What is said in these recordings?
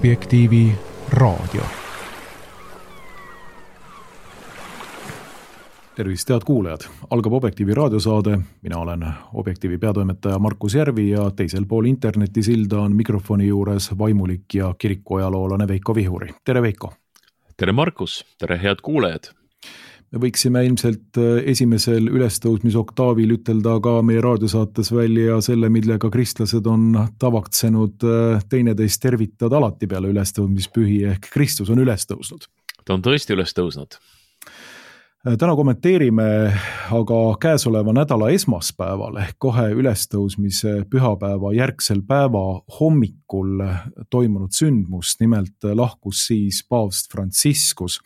Objektiivi raadio. Tervist, head kuulajad! Algab Objektiivi raadiosaade. Mina olen Objektiivi peatoimetaja Markus Järvi ja teisel pool internetisilda on mikrofoni juures vaimulik ja kirikuajaloolane Veiko Vihuri. Tere, Veiko! Tere, Markus! Tere, head kuulajad! Me võiksime ilmselt esimesel ülestõusmisoktavil ütelda ka meie raadiosaates välja selle, millega kristlased on tavaksenud teineteist tervitada alati peale ülestõusmispühi ehk Kristus on ülestõusnud. Ta on tõesti ülestõusnud. Täna kommenteerime aga käesoleva nädala esmaspäeval ehk kohe ülestõusmise pühapäeva järgsel päeva hommikul toimunud sündmust, nimelt lahkus siis paavst Franciscus.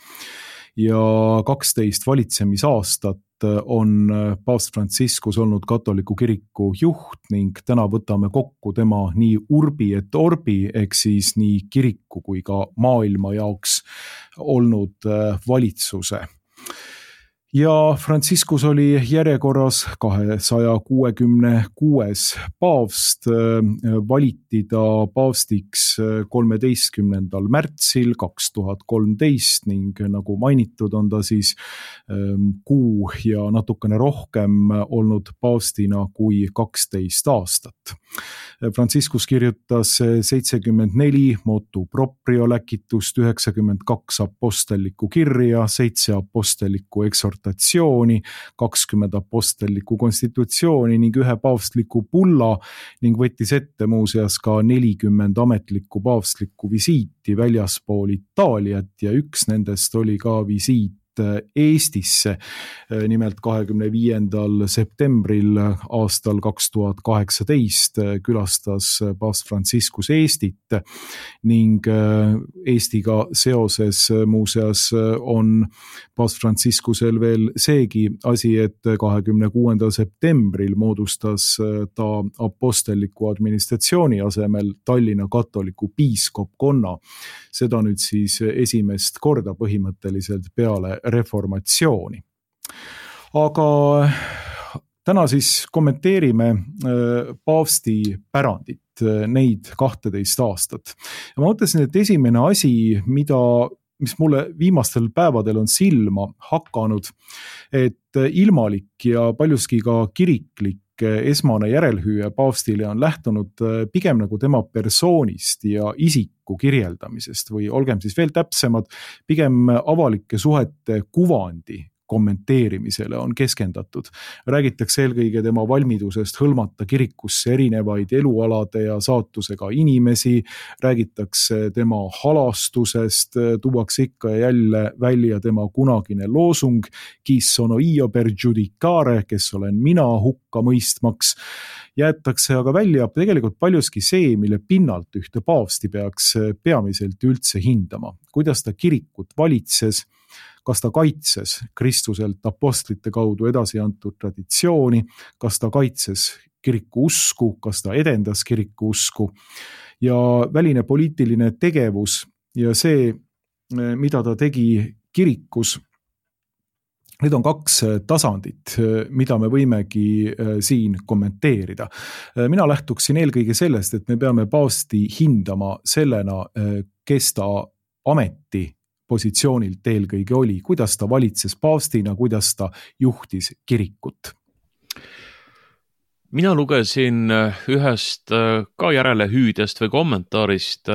Ja 12 valitsemisaastat on paavst Franciscus olnud katoliku kiriku juht ning täna võtame kokku tema nii urbi et orbi, ehk siis nii kiriku kui ka maailma jaoks olnud valitsuse. Ja Franciscus oli järjekorras 266. paavst, valiti ta paavstiks 13. märtsil 2013 ning nagu mainitud on ta siis kuu ja natukene rohkem olnud paavstina kui 12 aastat. Franciscus kirjutas 74 motu proprio läkitust, 92 apostellikku kirja, 7 apostellikku eksortatsiooni, 20 apostellikku konstitutsiooni ning 1 paavstliku bulla ning võttis ette muuseas ka 40 ametlikku paavstlikku visiiti väljaspool Itaaliat ja üks nendest oli ka visiit Eestisse. Nimelt 25. septembril aastal 2018 külastas paavst Franciscus Eestit ning Eestiga seoses muuseas on paavst Franciscusel veel seegi asi, et 26. septembril moodustas ta apostelliku administratsiooni asemel Tallinna katoliku piiskopkonna. Seda nüüd siis esimest korda põhimõtteliselt peale reformatsiooni. Aga täna siis kommenteerime paavsti pärandit, neid 12 aastat. Ja ma mõtlesin, et esimene asi, mis mulle viimastel päevadel on silma hakanud, et ilmalik ja paljuski ka kiriklik esmane järelhüüe paavstile on lähtunud pigem nagu tema persoonist ja isiku kirjeldamisest või olgem siis veel täpsemad, pigem avalike suhete kuvandi kommenteerimisele on keskendatud. Räägitakse eelkõige tema valmidusest hõlmata kirikusse erinevaid elualade ja saatusega inimesi, räägitakse tema halastusest, tuuakse ikka ja jälle välja tema kunagine loosung Qui sono io per giudicare, kes olen mina hukka mõistmaks. Jäetakse aga välja tegelikult paljuski see, mille pinnalt ühte paavsti peaks peamiselt üldse hindama. Kuidas ta kirikut valitses, kas ta kaitses Kristuselt apostlite kaudu edasi antud traditsiooni, kas ta kaitses kiriku usku, kas ta edendas kiriku usku ja väline poliitiline tegevus ja see, mida ta tegi kirikus. Need on 2 tasandit, mida me võimegi siin kommenteerida. Mina lähtuksin eelkõige sellest, et me peame paavsti hindama sellena, kes ta ameti positsioonilt eelkõige oli, kuidas ta valitses paavstina, kuidas ta juhtis kirikut. Mina lugesin ühest ka järelehüüdest või kommentaarist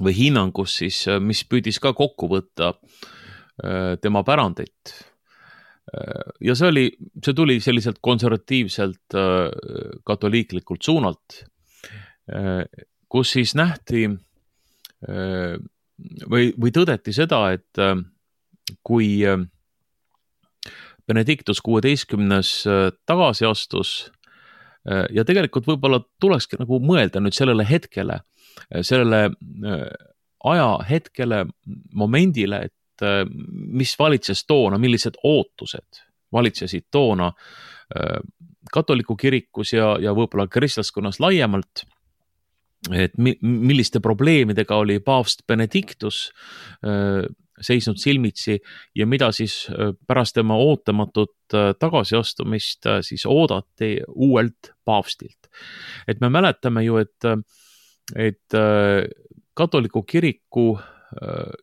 või hinnangust siis, mis püüdis ka kokku võtta tema pärandit. Ja see tuli selliselt konservatiivselt katoliiklikult suunalt, kus siis nähti või tõdeti seda, et kui Benedictus 16. tagasi astus ja tegelikult võib-olla tulekski nagu mõelda nüüd sellele hetkele, sellele ajahetkele, momendile, et mis valitses toona, millised ootused valitsesid toona katoliku kirikus ja võib-olla kristlaskonnas laiemalt, et milliste probleemidega oli paavst Benedictus seisnud silmitsi ja mida siis pärast tema ootamatut tagasiastumist siis oodati uuelt paavstilt. Et me mäletame ju, et katoliku kiriku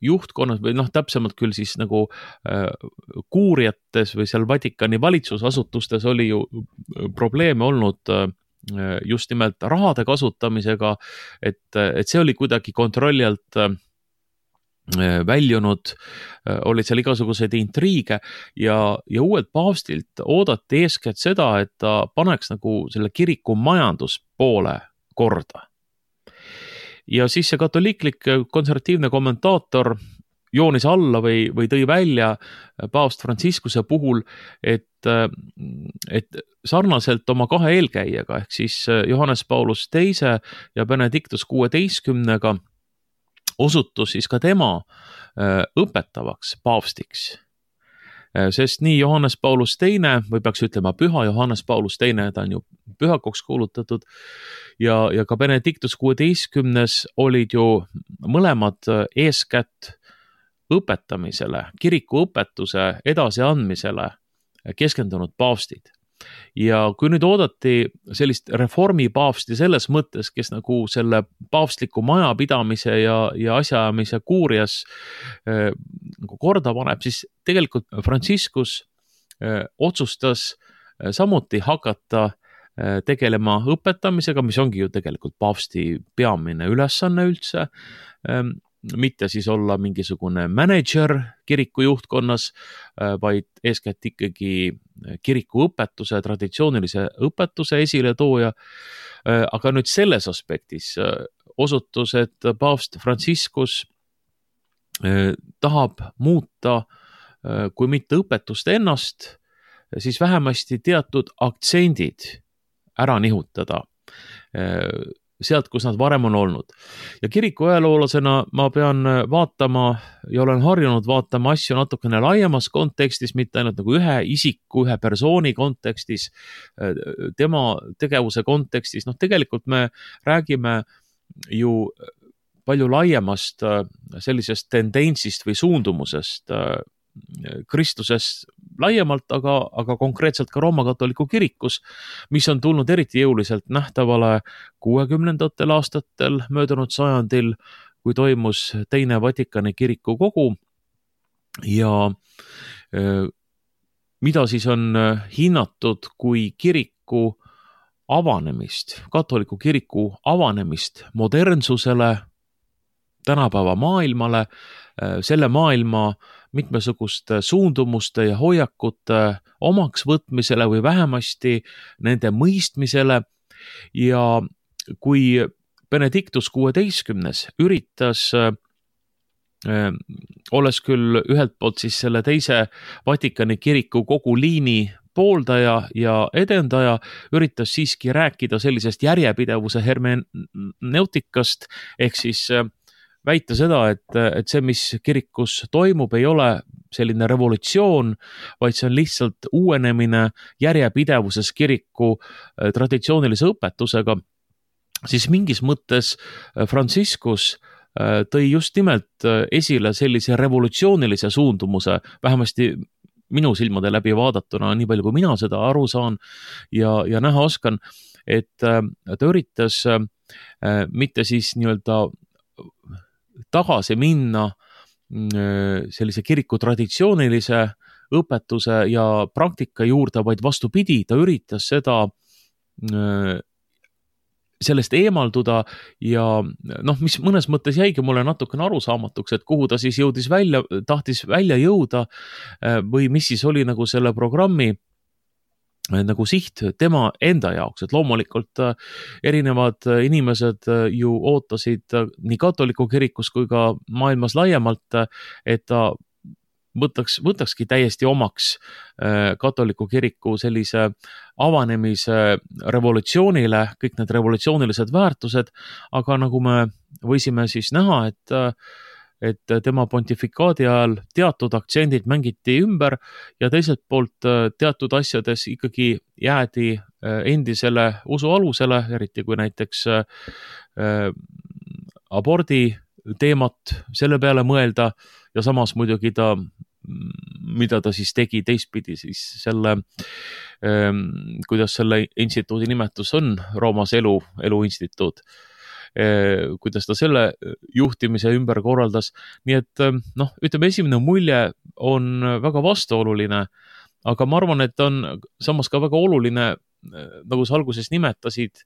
juhtkonnas või täpsemalt küll siis nagu kuuriates või seal Vatikani valitsusasutustes oli ju probleeme olnud just nimelt rahade kasutamisega, et see oli kuidagi kontrolli alt väljunud, olid seal igasuguseid intriige ja uuelt paavstilt oodati eeskätt seda, et ta paneks nagu selle kiriku majanduspoole korda. Ja siis see katoliiklik konservatiivne kommentaator joonis alla või tõi välja paavst Franciscuse puhul, et sarnaselt oma kahe eelkäijaga ehk siis Johannes Paulus II ja Benedictus XVI osutus siis ka tema õpetavaks paavstiks. Sest nii Johannes Paulus II või peaks ütlema püha Johannes Paulus II, ta on ju pühakoks kuulutatud ja ka Benedictus XVI olid ju mõlemad eeskätt õpetamisele, kiriku õpetuse edasiandmisele keskendunud paavstid. Ja kui nüüd oodati sellist reformipaavsti selles mõttes, kes nagu selle paavstliku majapidamise ja asjaajamise kuurias korda paneb, siis tegelikult Franciscus otsustas samuti hakata tegelema õpetamisega, mis ongi ju tegelikult paavsti peamine ülesanne üldse, mitte siis olla mingisugune manager kiriku juhtkonnas, vaid eeskätt ikkagi kiriku õpetuse, traditsioonilise õpetuse esiletooja. Aga nüüd selles aspektis osutus, et paavst Franciscus tahab muuta, kui mitte õpetust ennast, siis vähemasti teatud aktsendid ära nihutada sealt, kus nad varem on olnud. Ja kiriku ajaloolasena ma pean vaatama ja olen harjunud vaatama asju natukene laiemas kontekstis, mitte ainult nagu ühe isiku, ühe persooni kontekstis, tema tegevuse kontekstis. Tegelikult me räägime ju palju laiemast sellisest tendentsist või suundumusest Kristuses laiemalt, aga konkreetselt ka Rooma katoliku kirikus, mis on tulnud eriti jõuliselt nähtavale 60ndatel aastatel möödunud sajandil, kui toimus teine Vatikani kiriku kogu ja mida siis on hinnatud kui kiriku avanemist, katoliku kiriku avanemist modernsusele, tänapäeva maailmale, selle maailma mitmesuguste suundumuste ja hoiakute omaks võtmisele või vähemasti nende mõistmisele. Ja kui Benedictus XVI üritas, olles küll ühelt poolt siis selle teise Vatikani kiriku kogu liini pooldaja ja edendaja, üritas siiski rääkida sellisest järjepidevuse hermeneutikast ehk siis väita seda, et see, mis kirikus toimub, ei ole selline revolutsioon, vaid see on lihtsalt uuenemine järjepidevuses kiriku traditsioonilise õpetusega, siis mingis mõttes Franciscus tõi just nimelt esile sellise revolutsioonilise suundumuse, vähemasti minu silmade läbi vaadatuna, nii palju kui mina seda aru saan ja näha oskan, et ta üritas mitte siis nii-öelda tagasi minna sellise kiriku traditsioonilise õpetuse ja praktika juurde, vaid vastupidi, ta üritas seda sellest eemalduda ja mis mõnes mõttes jäigi mulle natukene arusaamatuks, et kuhu ta siis tahtis välja jõuda või mis siis oli nagu selle programmi nagu siht tema enda jaoks, et loomulikult erinevad inimesed ju ootasid nii katoliku kirikus kui ka maailmas laiemalt, et ta võtakski täiesti omaks katoliku kiriku sellise avanemise revolutsioonile, kõik need revolutsioonilised väärtused, aga nagu me võisime siis näha, et tema pontifikaadi ajal teatud aktsendid mängiti ümber ja teiselt poolt teatud asjades ikkagi jäädi endisele usu alusele, eriti kui näiteks abordi teemat selle peale mõelda ja samas muidugi mida ta siis tegi teistpidi siis selle, kuidas selle instituudi nimetus on, Roomas elu instituut. kuidas ta selle juhtimise ümber korraldas. Nii et ütleme, esimene mulje on väga vastuoluline, aga ma arvan, et on samas ka väga oluline, nagu sa alguses nimetasid,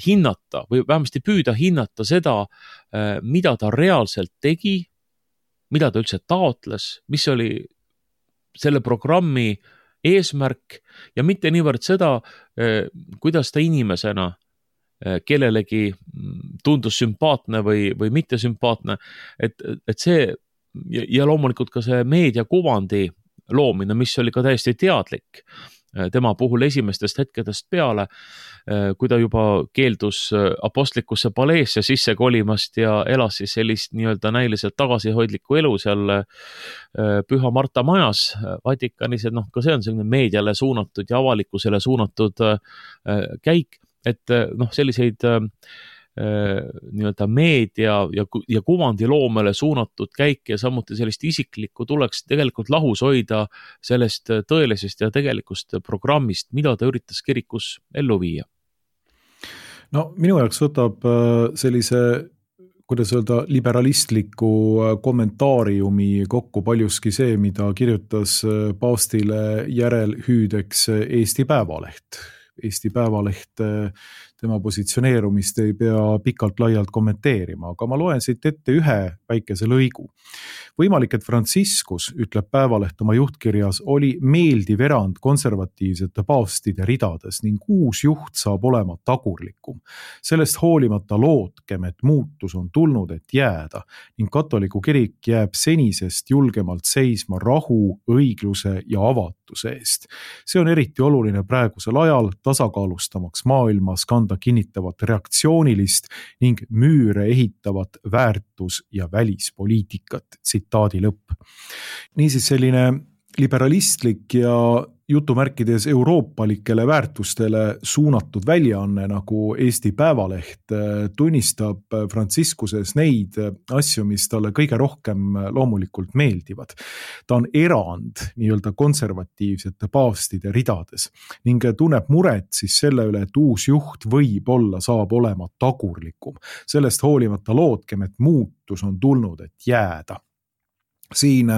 hinnata või vähemasti püüda hinnata seda, mida ta reaalselt tegi, mida ta üldse taotles, mis oli selle programmi eesmärk ja mitte niivõrd seda, kuidas ta inimesena kellelegi tundus sümpaatne või mitte sümpaatne, et see ja loomulikult ka see meediakuvandi loomine, mis oli ka täiesti teadlik tema puhul esimestest hetkedest peale, kui ta juba keeldus apostlikusse paleesse sisse kolimast ja elas siis sellist nii-öelda näiliselt tagasihoidlikku elu seal Püha Marta majas Vatikanis, et ka see on selline meediale suunatud ja avalikkusele suunatud käik, et selliseid nii-öelda meedia ja kuvandi loomele suunatud käike ja samuti sellist isiklikku tuleks tegelikult lahus hoida sellest tõelisest ja tegelikust programmist, mida ta üritas kirikus ellu viia. No minu jaoks võtab sellise, kuidas öelda, liberalistliku kommentaariumi kokku paljuski see, mida kirjutas paavstile järelhüüdeks Eesti Päevaleht. Eesti Päevaleht, tema positsioneerumist ei pea pikalt laialt kommenteerima, aga ma loen siit ette ühe väikese lõigu. Võimalik, et Franciscus, ütleb Päevaleht oma juhtkirjas, oli meeldiv erand konservatiivsete paavstide ridades ning uus juht saab olema tagurlikum. Sellest hoolimata lootkem, et muutus on tulnud, et jääda ning katoliku kirik jääb senisest julgemalt seisma rahu, õigluse ja avatuse eest. See on eriti oluline praegusel ajal tasakaalustamaks maailmas kanda kinnitavat reaktsioonilist ning müüre ehitavat väärtus- ja välispoliitikat. Tsitaadi lõpp. Niisiis selline liberalistlik ja jutumärkides euroopalikele väärtustele suunatud väljaanne nagu Eesti Päevaleht tunnistab Franciscuses neid asju, mis talle kõige rohkem loomulikult meeldivad. Ta on erand nii-öelda konservatiivsete paavstide ridades ning tunneb muret siis selle üle, et uus juht võib-olla saab olema tagurlikum. Sellest hoolimata lootkem, et muutus on tulnud, et jääda. Siin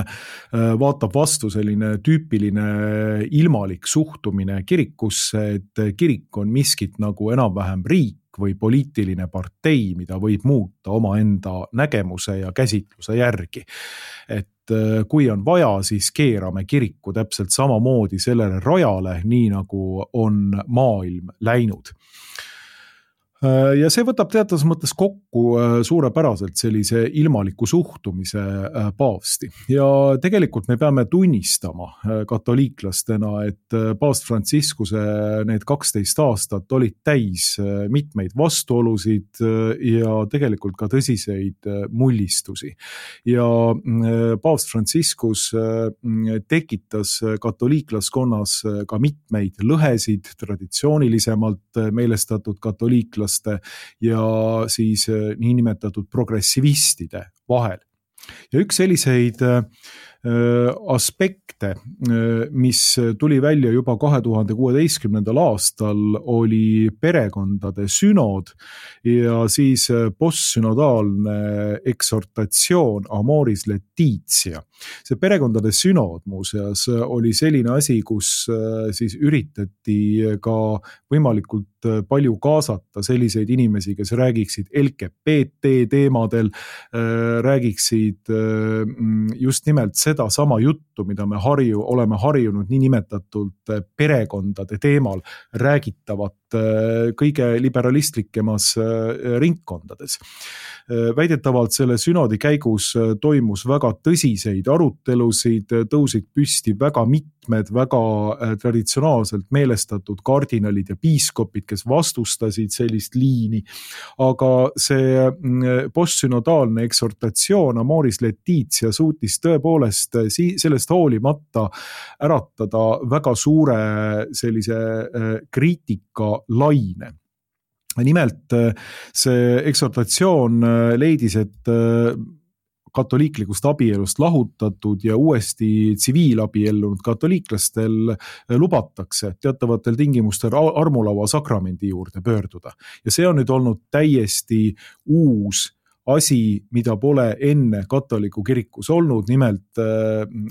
vaatab vastu selline tüüpiline ilmalik suhtumine kirikusse, et kirik on miskit nagu enam-vähem riik või poliitiline partei, mida võib muuta omaenda nägemuse ja käsitluse järgi. Et kui on vaja, siis keerame kiriku täpselt samamoodi sellele rajale, nii nagu on maailm läinud. Ja see võtab teatas mõttes kokku suurepäraselt sellise ilmaliku suhtumise paavsti. Ja tegelikult me peame tunnistama katoliiklastena, et paavst Franciscuse need 12 aastat olid täis mitmeid vastuolusid ja tegelikult ka tõsiseid mullistusi. Ja paavst Franciscus tekitas katoliiklaskonnas ka mitmeid lõhesid traditsioonilisemalt meelestatud katoliiklaste ja siis niinimetatud progressivistide vahel. Ja üks selliseid aspekte, mis tuli välja juba 2016. aastal, oli perekondade sünod ja siis postsünodaalne eksortatsioon Amoris Laetitia. See perekondade sünod muuseas oli selline asi, kus siis üritati ka võimalikult palju kaasata selliseid inimesi, kes räägiksid LGBT teemadel, räägiksid just nimelt seda sama juttu, mida me oleme harjunud niinimetatult perekondade teemal räägitavat kõige liberalistlikemas ringkondades. Väidetavalt selle sünodi käigus toimus väga tõsiseid arutelusid, tõusid püsti väga mitmed väga traditsionaalselt meelestatud kardinalid ja piiskopid, kes vastustasid sellist liini, aga see postsünodaalne eksortatsioon Amoris Laetitia suutis tõepoolest sellest hoolimata äratada väga suure sellise kriitika laine. Nimelt see eksortatsioon leidis, et katoliiklikust abielust lahutatud ja uuesti tsiviilabiellunud katoliiklastel lubatakse teatavatel tingimustel armulaua sakramendi juurde pöörduda. Ja see on nüüd olnud täiesti uus asi, mida pole enne katoliku kirikus olnud, nimelt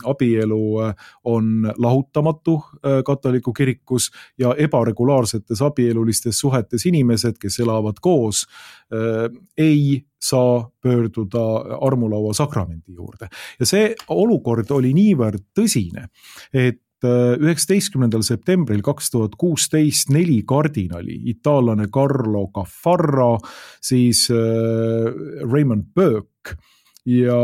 abielu on lahutamatu katoliku kirikus ja ebaregulaarsetes abielulistes suhetes inimesed, kes elavad koos, ei saa pöörduda armulaua sakramendi juurde. Ja see olukord oli niivõrd tõsine, et 19. septembril 2016 4 kardinali, itaallane Carlo Caffarra, siis Raymond Burke ja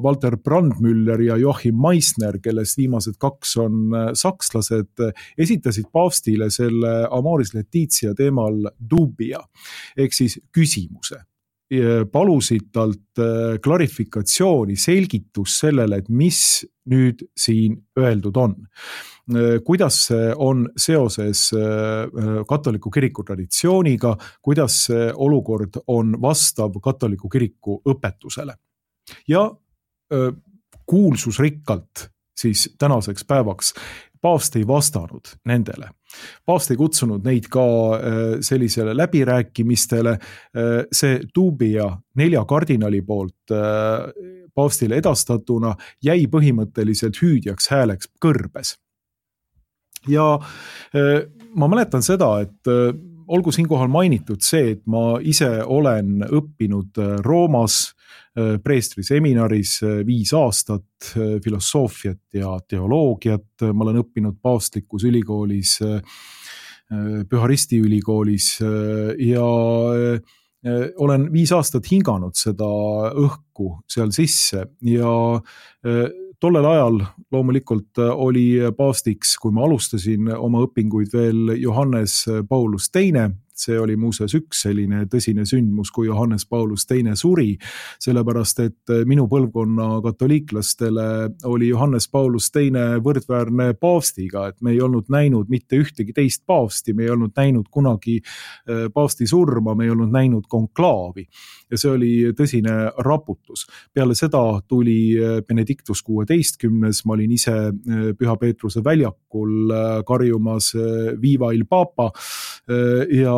Walter Brandmüller ja Joachim Meissner, kellest viimased 2 on sakslased, esitasid paavstile selle Amoris Laetitia teemal dubia ehk siis küsimuse. Palusid talt klarifikatsiooni, selgitust sellele, et mis nüüd siin öeldud on. Kuidas see on seoses katoliku kiriku traditsiooniga, kuidas see olukord on vastav katoliku kiriku õpetusele. Ja kuulsusrikkalt siis tänaseks päevaks paavst ei vastanud nendele. Paavst ei kutsunud neid ka sellisele läbirääkimistele. See dubia 4 kardinali poolt paavstile edastatuna jäi põhimõtteliselt hüüdjaks hääleks kõrbes. Ja ma mäletan seda, et olgu siinkohal mainitud see, et ma ise olen õppinud Roomas preestri seminaris 5 aastat filosoofiat ja teoloogiat. Ma olen õppinud paavstlikus ülikoolis, Püharisti ülikoolis ja olen 5 aastat hinganud seda õhku seal sisse ja tollel ajal loomulikult oli paavstiks, kui ma alustasin oma õpinguid veel Johannes Paulus II. See oli muuseas üks selline tõsine sündmus, kui Johannes Paulus II suri, sellepärast et minu põlvkonna katoliiklastele oli Johannes Paulus II võrdväärne paavstiga, et me ei olnud näinud mitte ühtegi teist paavsti, me ei olnud näinud kunagi paavsti surma, me ei olnud näinud konklaavi. Ja see oli tõsine raputus. Peale seda tuli Benedictus 16, ma olin ise Püha Peetruse väljakul karjumas Viva il Papa ja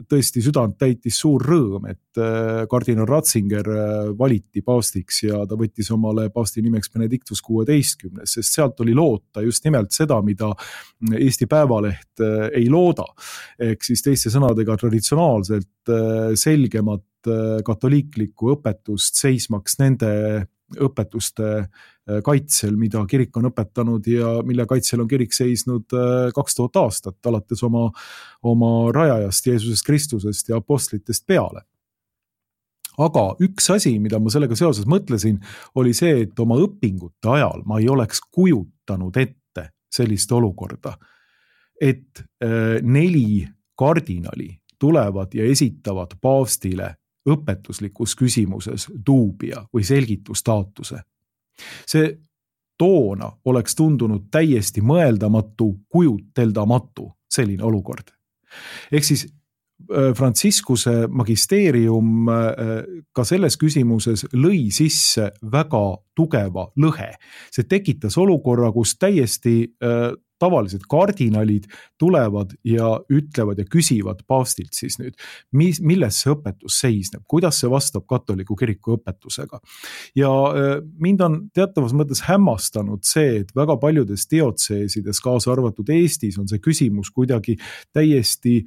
tõesti südant täitis suur rõõm, et kardinal Ratzinger valiti paavstiks ja ta võttis omale paavsti nimeks Benedictus 16, sest sealt oli loota just nimelt seda, mida Eesti Päevaleht ei looda. Ehk siis teiste sõnadega traditsionaalselt selgemat katoliiklikku õpetust seismaks nende õpetuste kaitsel, mida kirik on õpetanud ja mille kaitsel on kirik seisnud 2000 aastat, alates oma rajajast Jeesusest Kristusest ja apostlitest peale. Aga üks asi, mida ma sellega seoses mõtlesin, oli see, et oma õpingute ajal ma ei oleks kujutanud ette sellist olukorda, et 4 kardinali tulevad ja esitavad paavstile õpetuslikus küsimuses duubia või selgitustaatuse. See toona oleks tundunud täiesti mõeldamatu, kujuteldamatu selline olukord. Ehk siis Franciscuse magisteerium ka selles küsimuses lõi sisse väga tugeva lõhe. See tekitas olukorra, kus täiesti tavalised kardinalid tulevad ja ütlevad ja küsivad paavstilt siis nüüd, milles see õpetus seisneb, kuidas see vastab katoliku kiriku õpetusega. Ja mind on teatavas mõttes hämmastanud see, et väga paljudes diotseesides, kaasa arvatud Eestis, on see küsimus kuidagi täiesti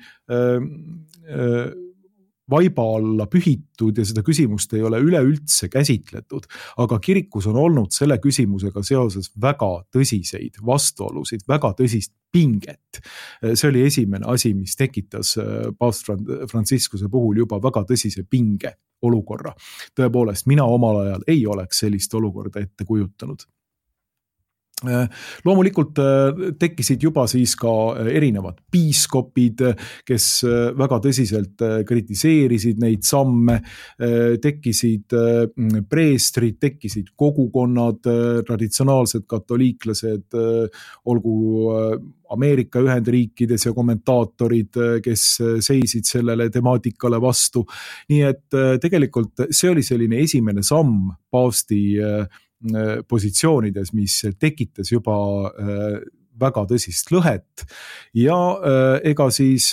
vaiba alla pühitud ja seda küsimust ei ole üleüldse käsitletud, aga kirikus on olnud selle küsimusega seoses väga tõsiseid vastuolusid, väga tõsist pinget. See oli esimene asi, mis tekitas paavst Franciscuse puhul juba väga tõsise pinge olukorra. Tõepoolest, mina omal ajal ei oleks sellist olukorda ette kujutanud. Loomulikult tekkisid juba siis ka erinevad piiskopid, kes väga tõsiselt kritiseerisid neid samme, tekkisid preestrid, tekkisid kogukonnad, traditsionaalsed katoliiklased, olgu Ameerika Ühendriikides ja kommentaatorid, kes seisid sellele temaatikale vastu. Nii et tegelikult see oli selline esimene samm paavsti positsioonides, mis tekitas juba väga tõsist lõhet ja ega siis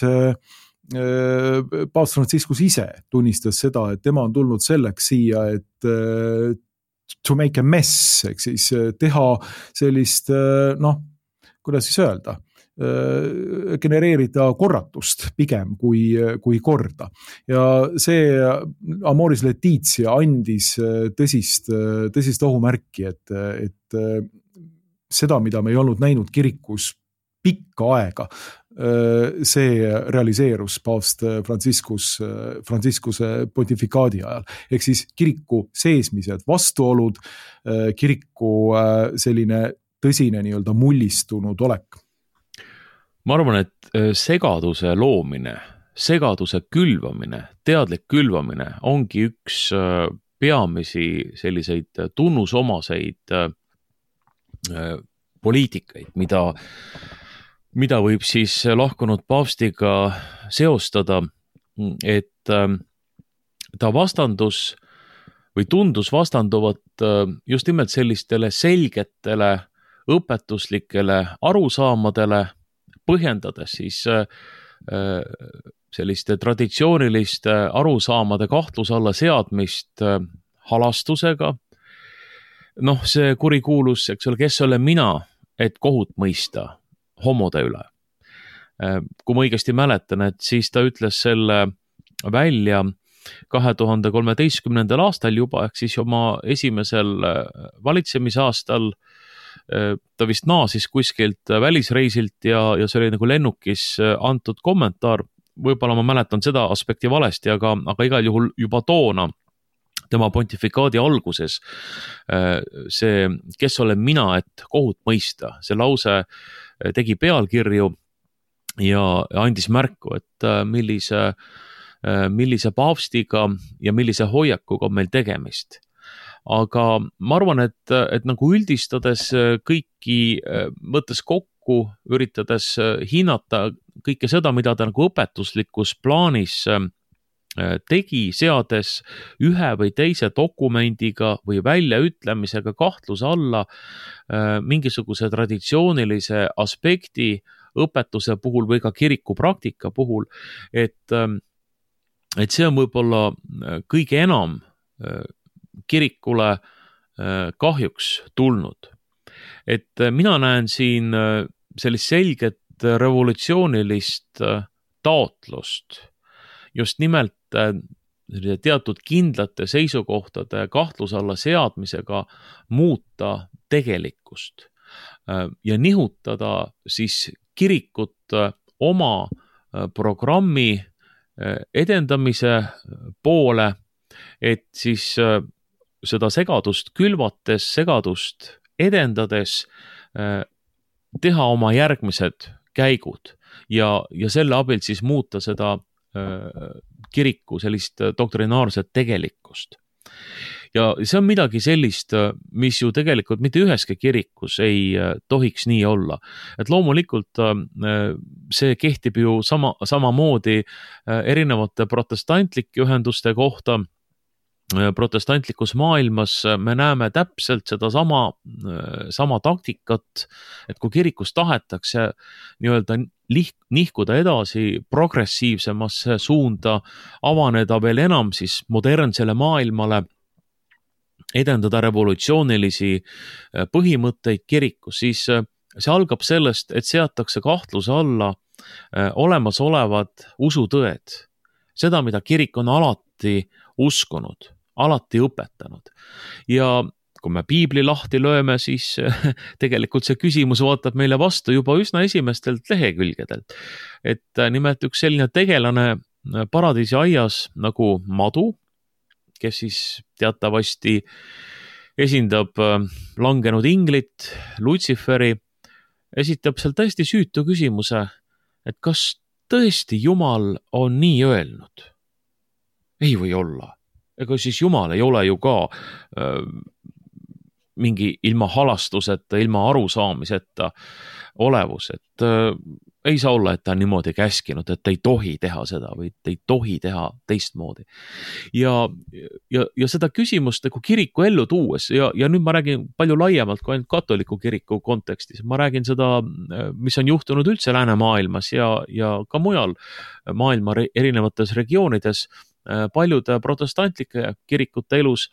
paavst Franciscus ise tunnistas seda, et tema on tulnud selleks siia, et to make a mess, ehk siis teha sellist, kuidas siis öelda, genereerida korratust pigem kui korda. Ja see Amoris Laetitia andis tõsist ohumärki, et seda, mida me ei olnud näinud kirikus pikka aega, see realiseerus paavst Franciscuse pontifikaadi ajal. Ehk siis kiriku seesmised vastuolud, kiriku selline tõsine nii-öelda mullistunud olek. Ma arvan, et segaduse loomine, segaduse külvamine, teadlik külvamine ongi üks peamisi selliseid tunnusomaseid poliitikaid, mida võib siis lahkunud paavstiga seostada, et ta vastandus või tundus vastanduvat just nimelt sellistele selgetele õpetuslikele arusaamadele, põhjendades siis selliste traditsiooniliste arusaamade kahtluse alla seadmist halastusega. See kurikuulus, eks ole, kes olen mina, et kohut mõista homode üle. Kui ma õigesti mäletan, et siis ta ütles selle välja 2013. aastal juba, ehk siis oma esimesel valitsemisaastal. Ta vist naasis kuskilt välisreisilt ja see oli nagu lennukis antud kommentaar. Võib-olla ma mäletan seda aspekti valesti, aga igal juhul juba toona tema pontifikaadi alguses see, kes olen mina, et kohut mõista, see lause tegi pealkirju ja andis märku, et millise paavstiga ja millise hoiakuga on meil tegemist. Aga ma arvan, et nagu üldistades kõiki, võttes kokku, üritades hinnata kõike seda, mida ta nagu õpetuslikus plaanis tegi, seades ühe või teise dokumendiga või väljaütlemisega kahtluse alla mingisuguse traditsioonilise aspekti õpetuse puhul või ka kiriku praktika puhul, et see on võib-olla kõige enam kirikule kahjuks tulnud. Et mina näen siin sellist selget revolutsioonilist taotlust just nimelt teatud kindlate seisukohtade kahtluse alla seadmisega muuta tegelikkust ja nihutada siis kirikut oma programmi edendamise poole, et siis seda segadust külvates, segadust edendades teha oma järgmised käigud ja selle abil siis muuta seda kiriku sellist doktrinaarset tegelikkust. Ja see on midagi sellist, mis ju tegelikult mitte üheski kirikus ei tohiks nii olla. Et loomulikult see kehtib ju samamoodi erinevate protestantlike ühenduste kohta. Protestantlikus maailmas me näeme täpselt seda sama taktikat, et kui kirikus tahetakse nii-öelda nihkuda edasi progressiivsemasse suunda, avaneda veel enam siis modernsele maailmale, edendada revolutsioonilisi põhimõtteid kirikus, siis see algab sellest, et seatakse kahtluse alla olemasolevad usutõed. Seda, mida kirik on alati uskunud, alati õpetanud. Ja kui me piibli lahti lööme, siis tegelikult see küsimus vaatab meile vastu juba üsna esimestelt lehekülgedelt. Et nimelt üks selline tegelane paradiisi aias nagu madu, kes siis teatavasti esindab langenud inglit, Lutsiferi, esitab seal täiesti süütu küsimuse, et kas tõesti Jumal on nii öelnud? Ei või olla. Ega siis Jumal ei ole ju ka mingi ilma halastuseta, ilma arusaamiseta olevus, et ei saa olla, et ta on niimoodi käskinud, et ei tohi teha seda või ei tohi teha teistmoodi. Ja seda küsimust nagu kiriku ellu tuues ja nüüd ma räägin palju laiemalt kui ainult katoliku kiriku kontekstis. Ma räägin seda, mis on juhtunud üldse läänemaailmas ja ka mujal maailma erinevates regioonides, paljude protestantlike kirikute elus,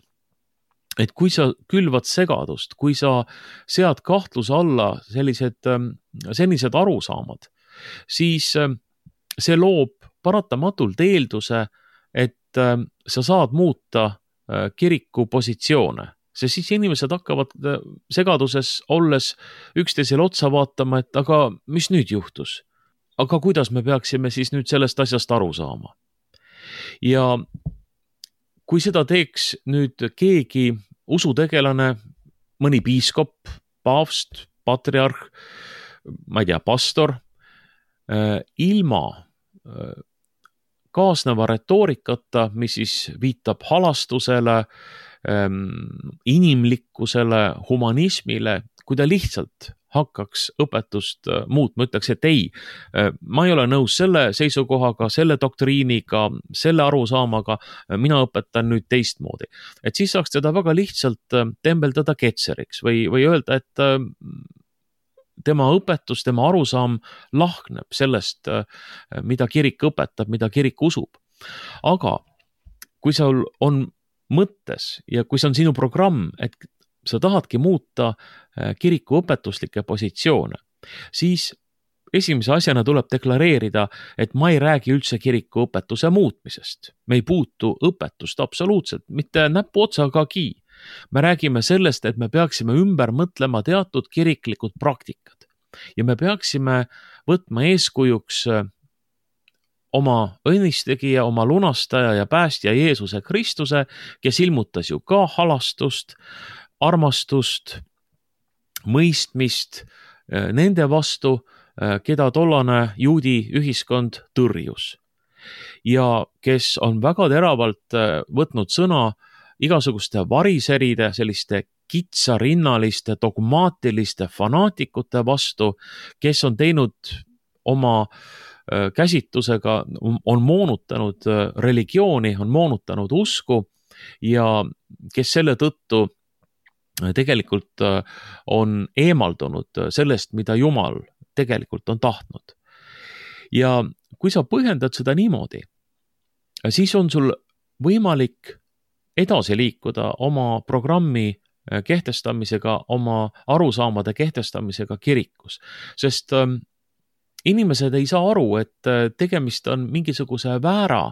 et kui sa külvad segadust, kui sa sead kahtluse alla senised arusaamad, siis see loob paratamatult eelduse, et sa saad muuta kiriku positsioone. See siis inimesed hakkavad segaduses olles üksteisele otsa vaatama, et aga mis nüüd juhtus? Aga kuidas me peaksime siis nüüd sellest asjast aru saama? Ja kui seda teeks nüüd keegi usutegelane, mõni piiskop, paavst, patriarh, ma ei tea, pastor, ilma kaasneva retoorikata, mis siis viitab halastusele, inimlikkusele, humanismile, kui ta lihtsalt hakkaks õpetust muutma, ütleks, et ei, ma ei ole nõus selle seisukohaga, selle doktriiniga, selle arusaamaga, mina õpetan nüüd teistmoodi. Et siis saaks teda väga lihtsalt tembeldada ketseriks või öelda, et tema õpetus, tema arusaam lahkneb sellest, mida kirik õpetab, mida kirik usub. Aga kui sul on mõttes ja kui see on sinu programm, et sa tahadki muuta kiriku õpetuslikke positsioone, siis esimese asjana tuleb deklareerida, et ma ei räägi üldse kiriku õpetuse muutmisest. Me ei puutu õpetust absoluutselt, mitte näpu otsagagi. Me räägime sellest, et me peaksime ümber mõtlema teatud kiriklikud praktikad ja me peaksime võtma eeskujuks oma õnnistegija, oma lunastaja ja päästja Jeesuse Kristuse, kes ilmutas ju ka halastust, armastust, mõistmist nende vastu, keda tollane juudi ühiskond tõrjus. Ja kes on väga teravalt võtnud sõna igasuguste variseride, selliste kitsarinnaliste, dogmaatiliste fanaatikute vastu, kes on teinud oma käsitlusega, on moonutanud religiooni, on moonutanud usku ja kes selle tõttu tegelikult on eemaldunud sellest, mida Jumal tegelikult on tahtnud. Ja kui sa põhjendad seda niimoodi, siis on sul võimalik edasi liikuda oma programmi kehtestamisega, oma arusaamade kehtestamisega kirikus, sest inimesed ei saa aru, et tegemist on mingisuguse väära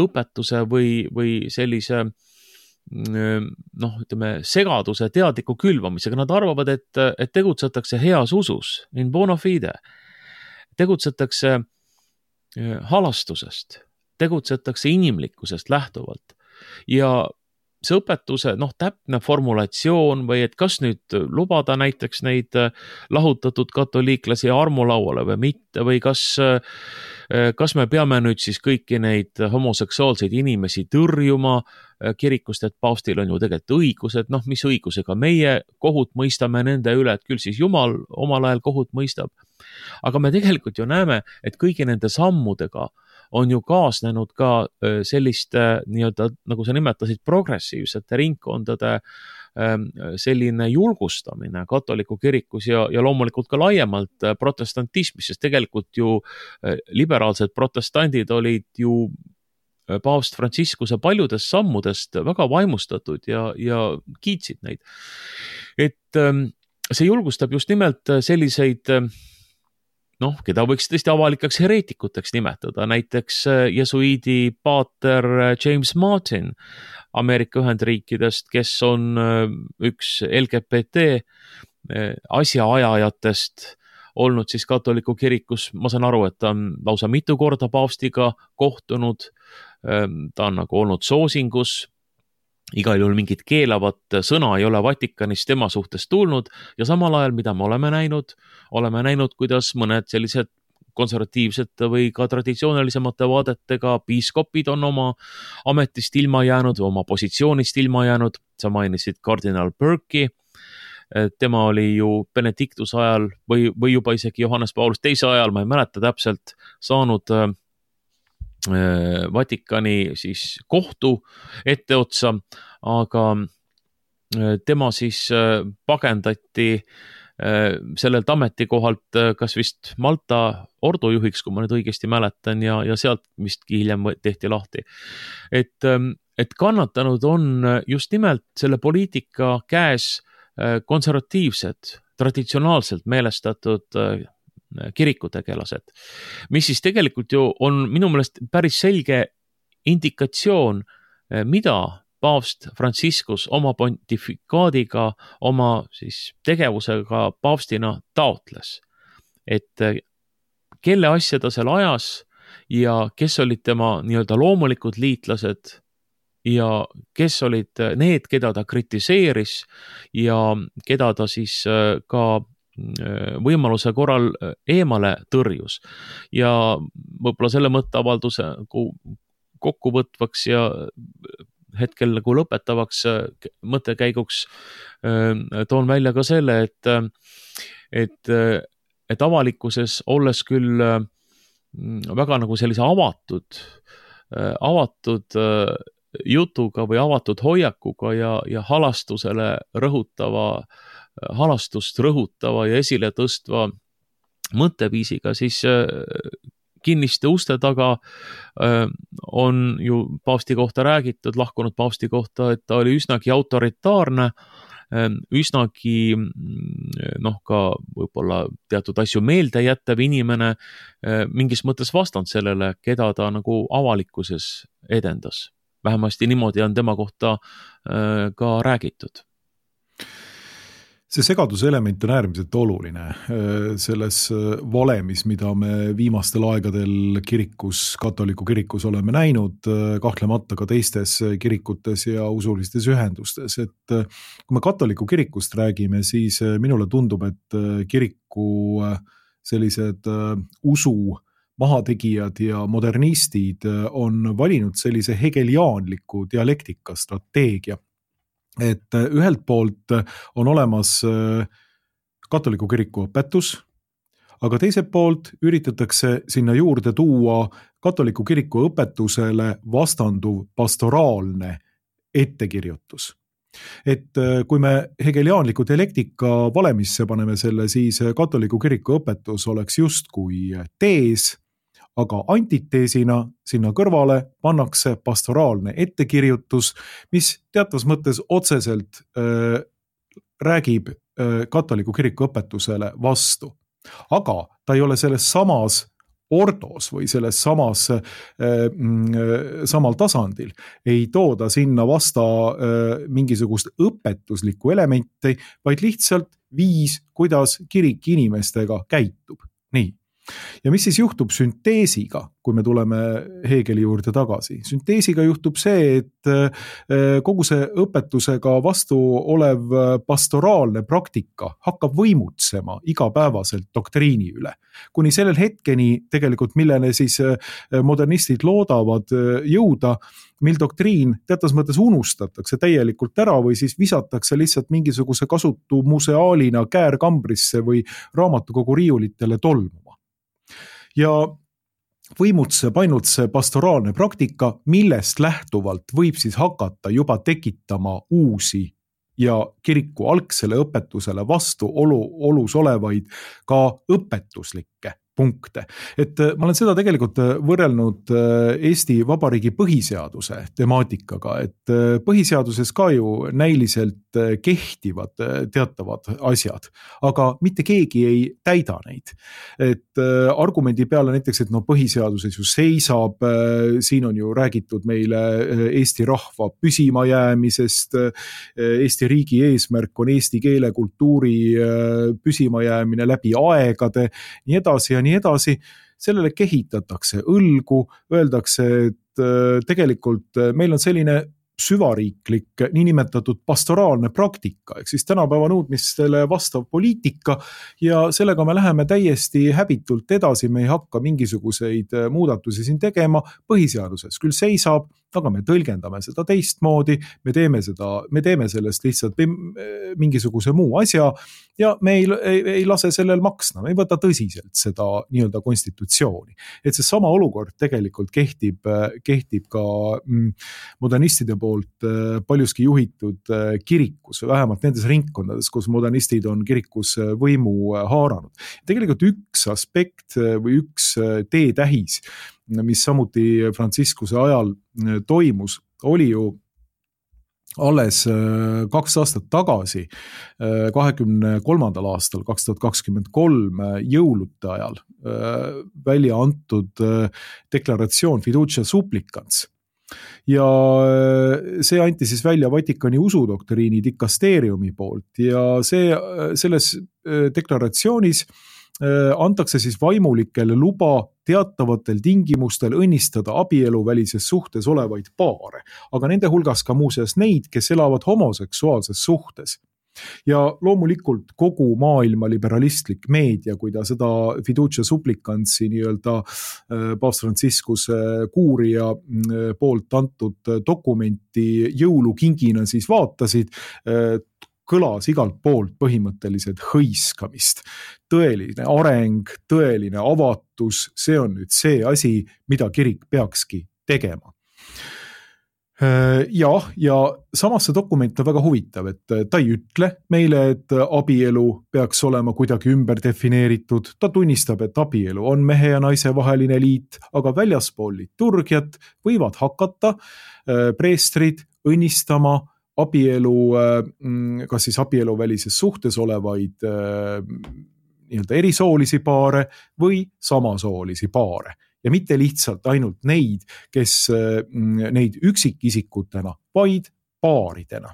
õpetuse või sellise segaduse teadliku külvamisega. Nad arvavad, et tegutsetakse heas usus, in bona fide, tegutsetakse halastusest, tegutsetakse inimlikkusest lähtuvalt ja see õpetuse täpne formulatsioon või et kas nüüd lubada näiteks neid lahutatud katoliiklasi armulauale või mitte või kas me peame nüüd siis kõiki neid homoseksuaalseid inimesi tõrjuma kirikust, et paavstil on ju tegelikult õigused, mis õigusega meie kohut mõistame nende üle, et küll siis Jumal omal ajal kohut mõistab. Aga me tegelikult ju näeme, et kõigi nende sammudega on ju kaasnenud ka sellist nii-öelda, nagu sa nimetasid, progressiivsete ringkondade selline julgustamine katoliku kirikus ja loomulikult ka laiemalt protestantismis, sest tegelikult ju liberaalsed protestandid olid ju paavst Franciscuse paljudest sammudest väga vaimustatud ja kiitsid neid. Et see julgustab just nimelt selliseid keda võiks tõesti avalikeks hereetikuteks nimetada, näiteks jesuiidi paater James Martin Ameerika Ühendriikidest, kes on üks LGBT asjaajajatest olnud siis katoliku kirikus. Ma saan aru, et ta on lausa mitu korda paavstiga kohtunud, ta on nagu olnud soosingus igal juhul mingit keelavat sõna ei ole Vatikanist tema suhtes tulnud ja samal ajal, mida me oleme näinud, kuidas mõned sellised konservatiivsete või ka traditsioonilisemate vaadetega piiskopid on oma ametist ilma jäänud või oma positsioonist ilma jäänud. Sa mainisid kardinal Burke'i, tema oli ju Benedictuse ajal või juba isegi Johannes Paulus teise ajal, ma ei mäleta täpselt, saanud Vatikani siis kohtu etteotsa, aga tema siis pagendati sellelt ametikohalt kas vist Malta ordujuhiks, kui ma nüüd õigesti mäletan, ja sealt vistki hiljem tehti lahti. Et kannatanud on just nimelt selle poliitika käes konservatiivsed, traditsionaalselt meelestatud kirikutegelased, mis siis tegelikult ju on minu meelest päris selge indikatsioon, mida paavst Franciscus oma pontifikaadiga, oma siis tegevusega paavstina taotles. Et kelle asja ta seal ajas ja kes olid tema nii-öelda loomulikud liitlased ja kes olid need, keda ta kritiseeris ja keda ta siis ka võimaluse korral eemale tõrjus. Ja võib-olla selle mõtteavalduse kokkuvõtvaks ja hetkel nagu lõpetavaks mõttekäiguks toon välja ka selle, et avalikkuses olles küll väga nagu sellise avatud jutuga või avatud hoiakuga ja halastust rõhutava ja esile tõstva mõtteviisiga, siis kinniste uste taga on ju paavsti kohta räägitud, lahkunud paavsti kohta, et ta oli üsnagi autoritaarne, üsnagi ka võib-olla teatud asju meelde jättav inimene, mingis mõttes vastand sellele, keda ta nagu avalikkuses edendas. Vähemasti niimoodi on tema kohta ka räägitud. See segaduse element on äärmiselt oluline selles valemis, mida me viimastel aegadel katoliku kirikus oleme näinud, kahtlemata ka teistes kirikutes ja usulistes ühendustes. Et kui me katoliku kirikust räägime, siis minule tundub, et kiriku sellised usu mahategijad ja modernistid on valinud sellise hegeliaanliku dialektika strateegia. Et ühelt poolt on olemas katoliku kiriku õpetus, aga teiselt poolt üritatakse sinna juurde tuua katoliku kiriku õpetusele vastanduv pastoraalne ettekirjutus. Et kui me hegeliaanliku dialektika valemisse paneme selle, siis katoliku kiriku õpetus oleks justkui tees, aga antiteesina sinna kõrvale pannakse pastoraalne ettekirjutus, mis teatavas mõttes otseselt räägib katoliku kiriku õpetusele vastu. Aga ta ei ole selles samas ordos või selles samal tasandil. Ei tooda sinna vasta mingisugust õpetuslikku elementi, vaid lihtsalt viis, kuidas kirik inimestega käitub. Nii. Ja mis siis juhtub sünteesiga, kui me tuleme Hegeli juurde tagasi? Sünteesiga juhtub see, et kogu see õpetusega vastu olev pastoraalne praktika hakkab võimutsema igapäevaselt doktriini üle. Kuni sellel hetkeni tegelikult, millele siis modernistid loodavad jõuda, mil doktriin teatas mõttes unustatakse täielikult ära või siis visatakse lihtsalt mingisuguse kasutu museaalina käärkambrisse või raamatukogu riiulitele tolmuma. Ja võimutseb ainult see pastoraalne praktika, millest lähtuvalt võib siis hakata juba tekitama uusi ja kiriku algsele õpetusele vastu olus olevaid ka õpetuslikke punkte. Et ma olen seda tegelikult võrrelnud Eesti Vabariigi põhiseaduse temaatikaga, et põhiseaduses ka ju näiliselt kehtivad teatavad asjad, aga mitte keegi ei täida neid. Et argumendi peale näiteks, et põhiseaduses ju seisab, siin on ju räägitud meile Eesti rahva püsimajäämisest, Eesti riigi eesmärk on eesti keele kultuuri püsimajäämine läbi aegade, nii edasi ja nii edasi, sellele kehitatakse õlgu, öeldakse, et tegelikult meil on selline süvariiklik niinimetatud pastoraalne praktika, ehk siis tänapäeva nõudmistele vastav poliitika ja sellega me läheme täiesti häbitult edasi, me ei hakka mingisuguseid muudatusi siin tegema, põhiseaduses küll seisab, aga me tõlgendame seda teistmoodi, me teeme sellest lihtsalt mingisuguse muu asja ja me ei lase sellel maksna, me ei võta tõsiselt seda nii-öelda konstitutsiooni. Et see sama olukord tegelikult kehtib ka modernistide poolt paljuski juhitud kirikus, vähemalt nendes ringkondades, kus modernistid on kirikus võimu haaranud. Tegelikult üks aspekt või üks teetähis, mis samuti Franciscuse ajal toimus, oli ju alles 2 aastat tagasi, 23. aastal 2023 jõulude ajal välja antud deklaratsioon Fiducia Supplicans. Ja see anti siis välja Vatikani usudoktriini dikasteeriumi poolt ja selles deklaratsioonis antakse siis vaimulikele luba teatavatel tingimustel õnnistada abieluvälises suhtes olevaid paare, aga nende hulgas ka muuseas neid, kes elavad homoseksuaalses suhtes. Ja loomulikult kogu maailma liberalistlik meedia, kui ta seda Fiducia Supplicansi nii-öelda paavst Franciscuse kuurija poolt antud dokumenti jõulukingina siis vaatasid, kõlas igalt poolt põhimõtteliselt hõiskamist. Tõeline areng, tõeline avatus, see on nüüd see asi, mida kirik peakski tegema. Ja samas see dokument on väga huvitav, et ta ei ütle meile, et abielu peaks olema kuidagi ümber defineeritud. Ta tunnistab, et abielu on mehe ja naise vaheline liit, aga väljaspool liturgiat võivad hakata preestrid õnnistama abielu, kas siis abieluvälises suhtes olevaid nii-öelda erisoolisi paare või samasoolisi paare. Ja mitte lihtsalt ainult neid, kes neid üksikisikutena, vaid paaridena.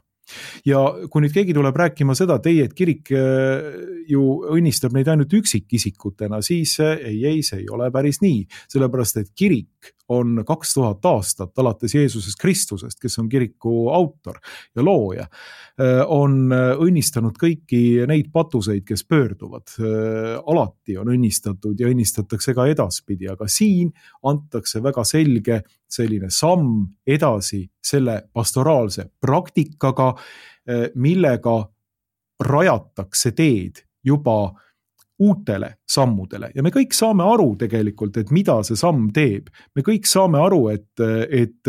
Ja kui nüüd keegi tuleb rääkima seda, et kirik ju õnnistab neid ainult üksikisikutena, siis ei, see ei ole päris nii. Sellepärast, et kirik on 2000 aastat alates Jeesusest Kristusest, kes on kiriku autor ja looja, on õnnistanud kõiki neid patuseid, kes pöörduvad. Alati on õnnistatud ja õnnistatakse ka edaspidi, aga siin antakse väga selge selline samm edasi selle pastoraalse praktikaga, millega rajatakse teed juba uutele sammudele. Ja me kõik saame aru tegelikult, et mida see samm teeb. Me kõik saame aru, et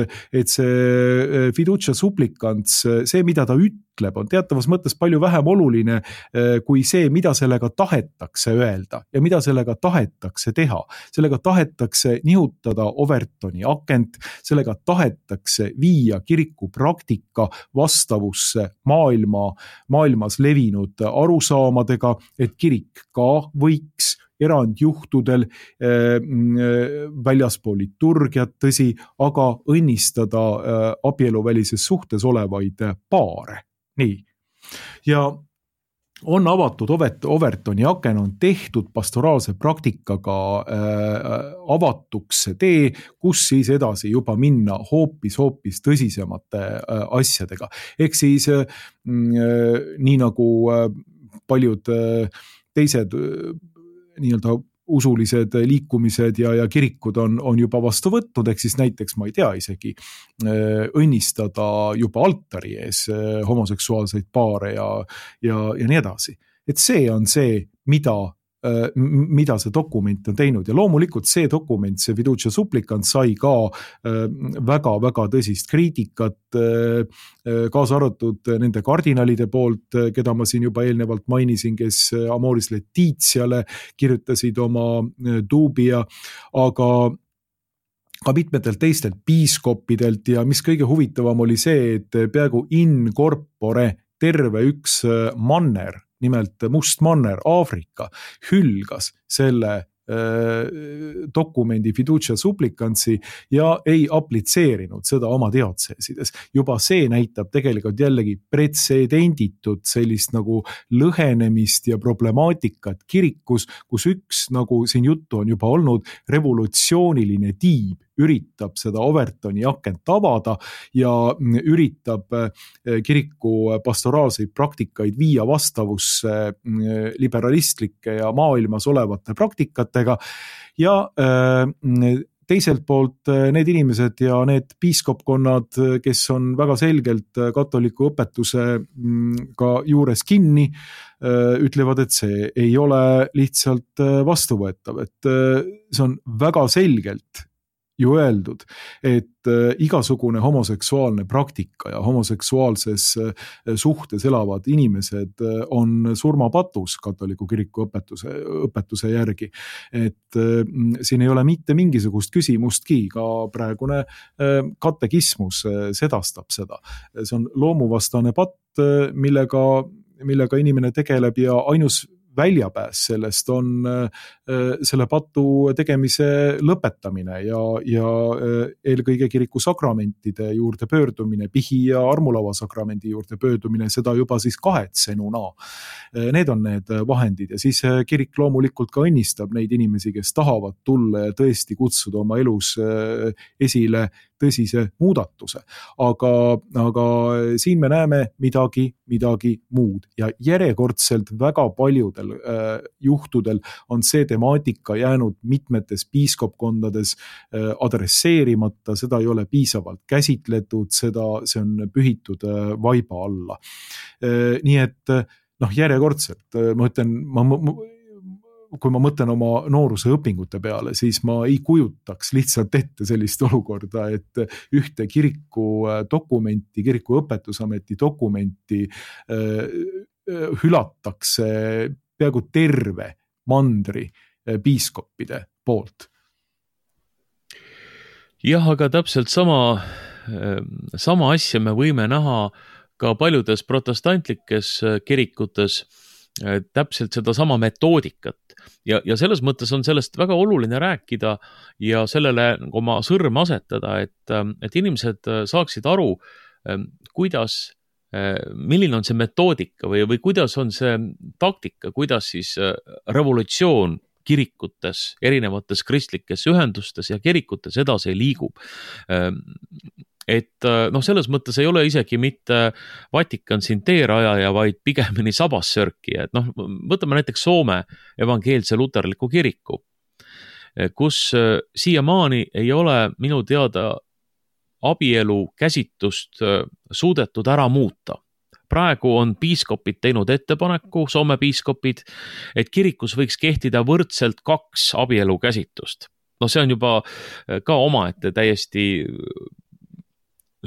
see Fiducia Supplicans, see, mida ta ütleb, on teatavas mõttes palju vähem oluline kui see, mida sellega tahetakse öelda ja mida sellega tahetakse teha. Sellega tahetakse nihutada Overtoni akent, sellega tahetakse viia kiriku praktika vastavusse maailmas levinud arusaamadega, et kirik ka võiks erandjuhtudel väljaspool liturgiat, tõsi, aga õnnistada abieluvälises suhtes olevaid paare. Nii. Ja on avatud Overtoni aken, on tehtud pastoraalse praktikaga avatuks see tee, kus siis edasi juba minna hoopis tõsisemate asjadega. Ehk siis nii nagu paljud teised nii-öelda usulised liikumised ja kirikud on juba vastu võtnud, ehk siis näiteks, ma ei tea isegi, õnnistada juba altari ees homoseksuaalseid paare ja nii edasi. Et see on see, mida see dokument on teinud ja loomulikult see dokument, see Fiducia Supplicans sai ka väga tõsist kriitikat, kaasa arvatud nende kardinalide poolt, keda ma siin juba eelnevalt mainisin, kes Amoris Laetitiale kirjutasid oma duubia, aga ka mitmetelt teistelt piiskopidelt ja mis kõige huvitavam oli see, et peaaegu in corpore terve üks manner, nimelt Must manner, Aafrika, hülgas selle dokumendi Fiducia Supplicansi ja ei aplitseerinud seda oma diotseesides. Juba see näitab tegelikult jällegi pretsedenditut sellist nagu lõhenemist ja problemaatikat kirikus, kus üks, nagu siin juttu on juba olnud, revolutsiooniline tiib üritab seda Overtoni akent avada ja üritab kiriku pastoraalseid praktikaid viia vastavusse liberalistlike ja maailmas olevate praktikatega ja teiselt poolt need inimesed ja need piiskopkonnad, kes on väga selgelt katoliku õpetuse ka juures kinni, ütlevad, et see ei ole lihtsalt vastuvõetav, et see on väga selgelt ju öeldud, et igasugune homoseksuaalne praktika ja homoseksuaalses suhtes elavad inimesed on surmapatus katoliku kiriku õpetuse järgi. Et siin ei ole mitte mingisugust küsimustki, ka praegune katekismus sedastab seda. See on loomuvastane patt, millega inimene tegeleb ja ainus väljapääs sellest on selle patu tegemise lõpetamine ja eelkõige kiriku sakramentide juurde pöördumine, pihi ja armulava sakramendi juurde pöördumine, seda juba siis kahetsenuna. Need on need vahendid ja siis kirik loomulikult ka õnnistab neid inimesi, kes tahavad tulla ja tõesti kutsuda oma elus esile tõsise muudatuse. Aga siin me näeme midagi muud ja järjekordselt väga paljudel juhtudel on see temaatika jäänud mitmetes piiskopkondades adresseerimata, seda ei ole piisavalt käsitletud, see on pühitud vaiba alla. Nii et järjekordselt ma ütlen, kui ma mõtlen oma nooruse õpingute peale, siis ma ei kujutaks lihtsalt ette sellist olukorda, et ühte kiriku dokumenti, kiriku õpetusameti dokumenti hülatakse peaaegu terve mandri piiskoppide poolt. Jah, aga täpselt sama asja me võime näha ka paljudes protestantlikes kirikutes, täpselt seda sama metoodikat ja selles mõttes on sellest väga oluline rääkida ja sellele oma sõrme asetada, et inimesed saaksid aru, milline on see metoodika või kuidas on see taktika, kuidas siis revolutsioon kirikutes, erinevates kristlikes ühendustes ja kirikutes edasi liigub. Et selles mõttes ei ole isegi mitte Vatikan siin teerajaja, vaid pigemini sabassörki. Et võtame näiteks Soome evangeelse luterliku kiriku, kus siiamaani ei ole minu teada abielu käsitust suudetud ära muuta. Praegu on piiskopid teinud ettepaneku, Soome piiskopid, et kirikus võiks kehtida võrdselt 2 abielu käsitust. See on juba ka omaette täiesti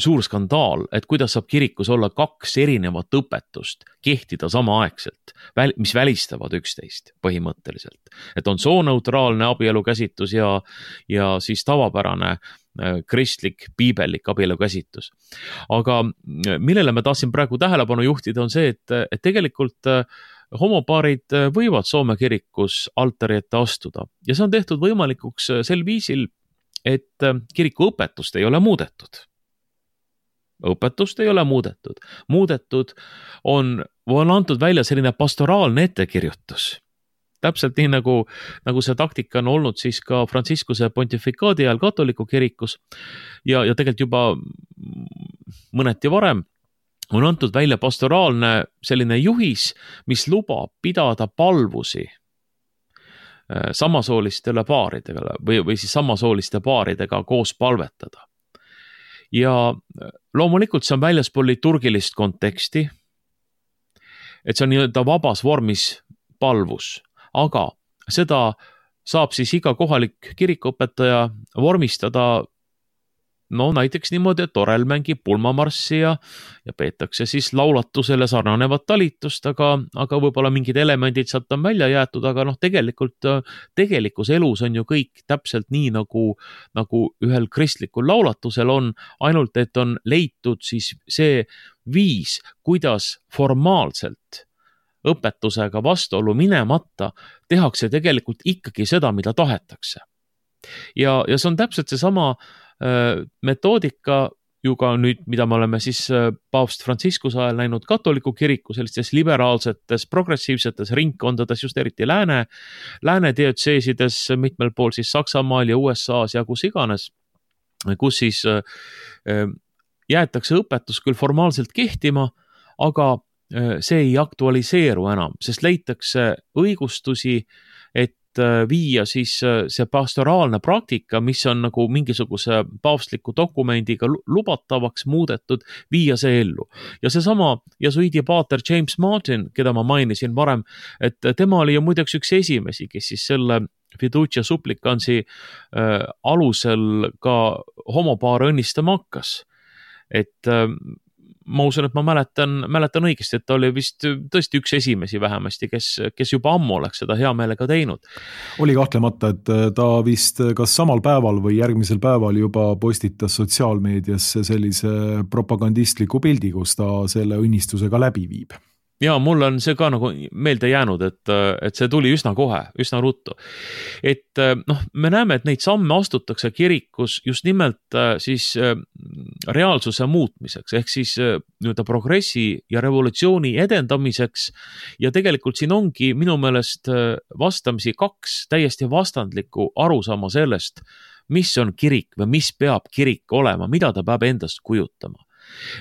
suur skandaal, et kuidas saab kirikus olla 2 erinevat õpetust kehtida samaaegselt, mis välistavad üksteist põhimõtteliselt. Et on sooneutraalne abielu käsitus ja siis tavapärane kristlik, piibellik abielu käsitus. Aga millele ma tahtsin praegu tähelepanu juhtida on see, et tegelikult homopaarid võivad Soome kirikus altari ette astuda ja see on tehtud võimalikuks sel viisil, et kiriku õpetust ei ole muudetud. Õpetust ei ole muudetud. Muudetud on antud välja selline pastoraalne ettekirjutus. Täpselt nii nagu see taktika on olnud siis ka Franciscuse pontifikaadi ajal katoliku kirikus ja tegelikult juba mõneti varem on antud välja pastoraalne selline juhis, mis lubab pidada palvusi samasoolistele paaridega või siis samasooliste paaridega koos palvetada. Ja loomulikult see on väljaspool liturgilist konteksti, et see on nii-öelda vabas vormis palvus, aga seda saab siis iga kohalik kirikuõpetaja vormistada näiteks niimoodi, et orel mängib pulmamarssi ja peetakse siis laulatusele sarnanevat talitust, aga võib-olla mingid elemendid sealt on välja jäetud, aga tegelikus elus on ju kõik täpselt nii, nagu ühel kristlikul laulatusel on, ainult et on leitud siis see viis, kuidas formaalselt õpetusega vastuolu minemata tehakse tegelikult ikkagi seda, mida tahetakse. Ja see on täpselt seesama metoodika ju ka nüüd, mida me oleme siis paavst Franciscuse ajal näinud katoliku kiriku sellistes liberaalsetes, progressiivsetes ringkondades, just eriti lääne diötseesides, mitmel pool siis Saksamaal ja USA-s ja kus iganes. kus siis jäetakse õpetus küll formaalselt kehtima, aga see ei aktualiseeru enam, sest leitakse õigustusi, et viia siis see pastoraalne praktika, mis on nagu mingisuguse paavstliku dokumendiga lubatavaks muudetud, viia see ellu. Ja seesama jesuidi paater James Martin, keda ma mainisin varem, et tema oli ju muideks üks esimesi, kes siis selle fiducia supplicansi alusel ka homopaare õnnistama hakkas. Et ma usun, et ma mäletan õigesti, et ta oli vist tõesti üks esimesi vähemasti, kes juba ammu oleks seda hea meelega teinud. Oli kahtlemata, et ta vist kas samal päeval või järgmisel päeval juba postitas sotsiaalmeediasse sellise propagandistliku pildi, kus ta selle õnnistusega läbi viib. Ja mul on see ka nagu meelde jäänud, et see tuli üsna kohe, üsna ruttu. Et me näeme, et neid samme astutakse kirikus just nimelt siis reaalsuse muutmiseks, ehk siis nii-öelda progressi ja revolutsiooni edendamiseks. Ja tegelikult siin ongi minu meelest vastamisi kaks täiesti vastandlikku arusaama sellest, mis on kirik või mis peab kirik olema, mida ta peab endast kujutama.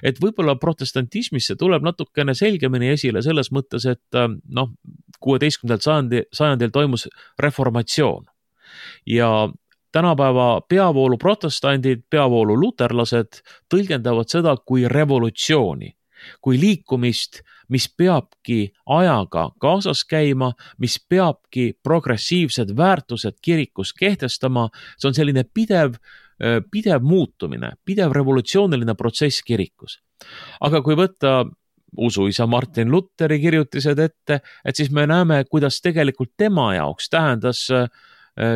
Et võib-olla protestantismisse tuleb natukene selgemini esile selles mõttes, et 16. sajandil toimus reformatsioon ja tänapäeva peavoolu protestandid, peavoolu luterlased tõlgendavad seda kui revolutsiooni, kui liikumist, mis peabki ajaga kaasas käima, mis peabki progressiivsed väärtused kirikus kehtestama. See on selline pidev muutumine, pidev revolutsiooniline protsess kirikus. Aga kui võtta usuisa Martin Lutheri kirjutised ette, et siis me näeme, kuidas tegelikult tema jaoks tähendas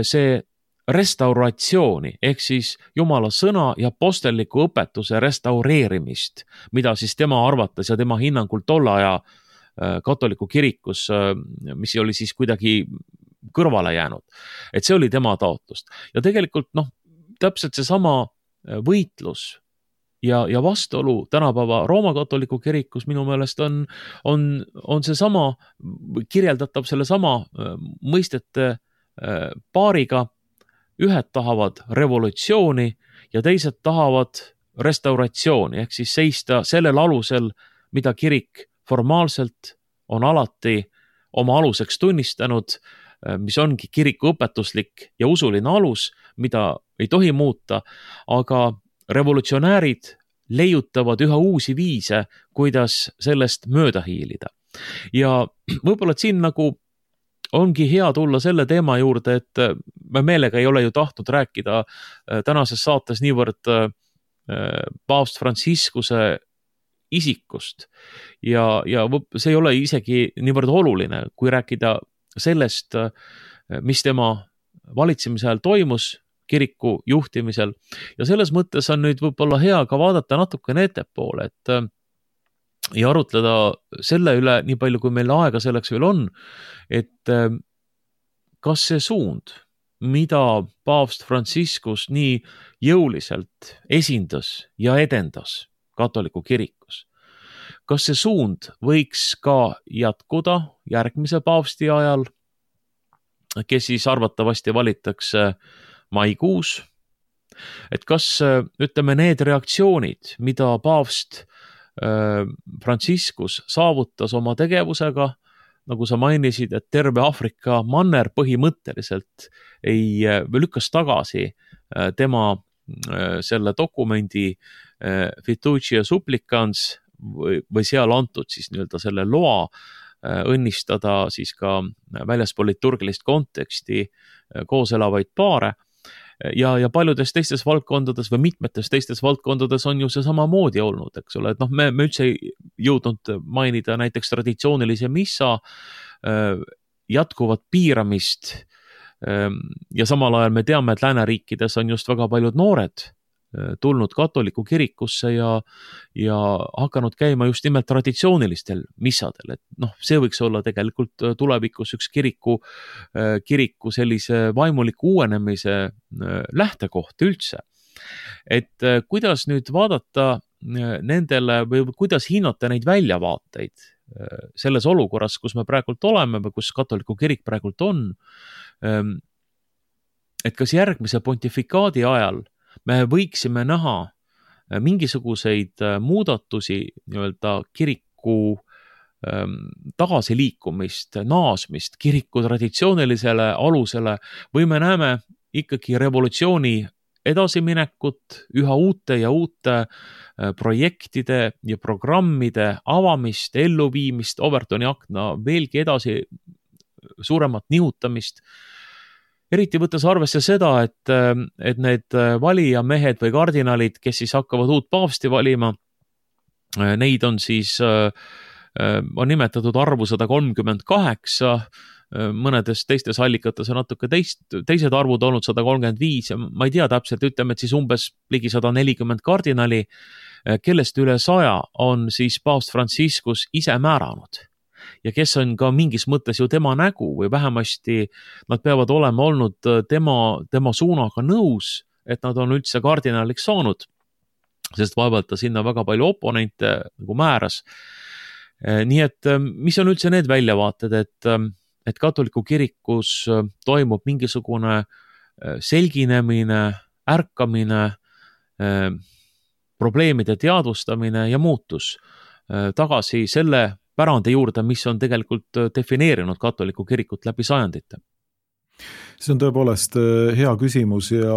see restauratsiooni, ehk siis Jumala sõna ja apostelliku õpetuse restaureerimist, mida siis tema arvates ja tema hinnangul tolle aja katoliku kirikus, mis oli siis kuidagi kõrvale jäänud. Et see oli tema taotlust. Ja tegelikult täpselt seesama võitlus ja vastuolu tänapäeva Rooma katoliku kirikus minu meelest on seesama, kirjeldatav selle sama mõistete paariga. Ühed tahavad revolutsiooni ja teised tahavad restauratsiooni, ehk siis seista sellel alusel, mida kirik formaalselt on alati oma aluseks tunnistanud, mis ongi kiriku õpetuslik ja usuline alus, mida ei tohi muuta, aga revolutsionäärid leiutavad üha uusi viise, kuidas sellest mööda hiilida. Ja võib-olla siin nagu ongi hea tulla selle teema juurde, et me meelega ei ole ju tahtnud rääkida tänases saates niivõrd paavst Franciscuse isikust ja see ei ole isegi niivõrd oluline, kui rääkida sellest, mis tema valitsemise ajal toimus kiriku juhtimisel. Ja selles mõttes on nüüd võib-olla hea ka vaadata natukene ettepoole, ja arutleda selle üle, nii palju kui meil aega selleks veel on, et kas see suund, mida paavst Franciscus nii jõuliselt esindas ja edendas katoliku kirikus, kas see suund võiks ka jätkuda järgmise paavsti ajal, kes siis arvatavasti valitakse maikuus, et kas, ütleme, need reaktsioonid, mida paavst Franciscus saavutas oma tegevusega, nagu sa mainisid, et terve Aafrika manner põhimõtteliselt lükkas tagasi tema selle dokumendi fiducia supplicans või seal antud siis nii-öelda selle loa õnnistada siis ka väljaspool liturgilist konteksti koos elavaid paare. Ja paljudes teistes valdkondades või mitmetes teistes valdkondades on ju see samamoodi olnud, eks ole, et me üldse ei jõudnud mainida näiteks traditsioonilise missa jätkuvat piiramist ja samal ajal me teame, et lääneriikides on just väga paljud noored tulnud katoliku kirikusse ja hakanud käima just nimelt traditsioonilistel missadel, et see võiks olla tegelikult tulevikus üks kiriku sellise vaimuliku uuenemise lähtekoht üldse. Et kuidas nüüd vaadata nendele või kuidas hinnata neid väljavaateid selles olukorras, kus me praegult oleme või kus katoliku kirik praegult on, et kas järgmise pontifikaadi ajal me võiksime näha mingisuguseid muudatusi nii-öelda kiriku tagasiliikumist, naasmist kiriku traditsioonilisele alusele või me näeme ikkagi revolutsiooni edasiminekut, üha uute ja uute projektide ja programmide avamist, elluviimist, Overtoni akna veelgi edasi suuremat nihutamist. Eriti võttes arvesse seda, et need valijamehed või kardinalid, kes siis hakkavad uut paavsti valima, neid on siis on nimetatud arvu 138, mõnedes teistes allikates on natuke teised arvud olnud 135 ja ma ei tea täpselt, ütleme, et siis umbes ligi 140 kardinali, kellest üle 100 on siis paavst Franciscus ise määranud. Ja kes on ka mingis mõttes ju tema nägu või vähemasti nad peavad olema olnud tema suunaga nõus, et nad on üldse kardinaliks saanud, sest vaevalt ta sinna väga palju oponente nagu määras. Nii et mis on üldse need väljavaated, et katoliku kirikus toimub mingisugune selginemine, ärkamine, probleemide teadvustamine ja muutus tagasi selle pärandi juurde, mis on tegelikult defineerinud katoliku kirikut läbi sajandite. See on tõepoolest hea küsimus ja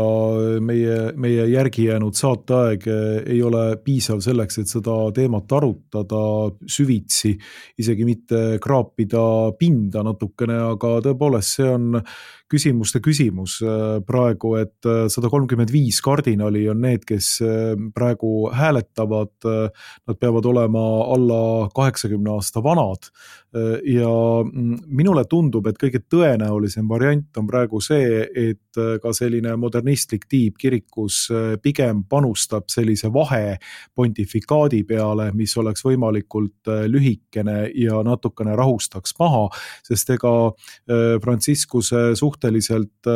meie järgi jäänud saateaeg ei ole piisav selleks, et seda teemat arutada süvitsi, isegi mitte kraapida pinda natukene, aga tõepoolest see on küsimuste küsimus praegu, et 135 kardinali on need, kes praegu hääletavad, nad peavad olema alla 80 aasta vanad ja minule tundub, et kõige tõenäolisem variant on praegu see, et ka selline modernistlik tiib kirikus pigem panustab sellise vahe pontifikaadi peale, mis oleks võimalikult lühikene ja natukene rahustaks maha, sest ega Franciscuse suhteliselt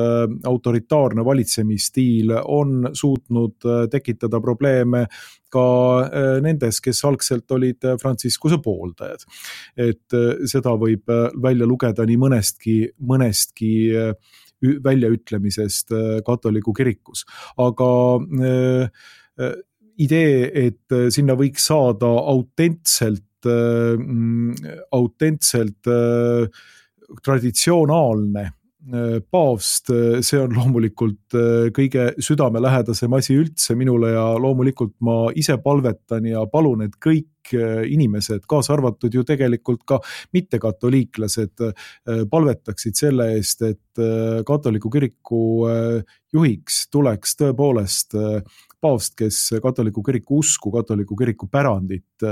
autoritaarne valitsemisstiil on suutnud tekitada probleeme ka nendes, kes algselt olid Franciscuse pooldajad. Et seda võib välja lugeda nii mõnestki väljaütlemisest katoliku kirikus. Aga idee, et sinna võiks saada autentselt traditsionaalne paavst, see on loomulikult kõige südamelähedasem asi üldse minule ja loomulikult ma ise palvetan ja palun, et kõik inimesed, kaasa arvatud ju tegelikult ka mittekatoliiklased, palvetaksid selle eest, et katoliku kiriku juhiks tuleks tõepoolest paavst, kes katoliku kiriku usku, katoliku kiriku pärandit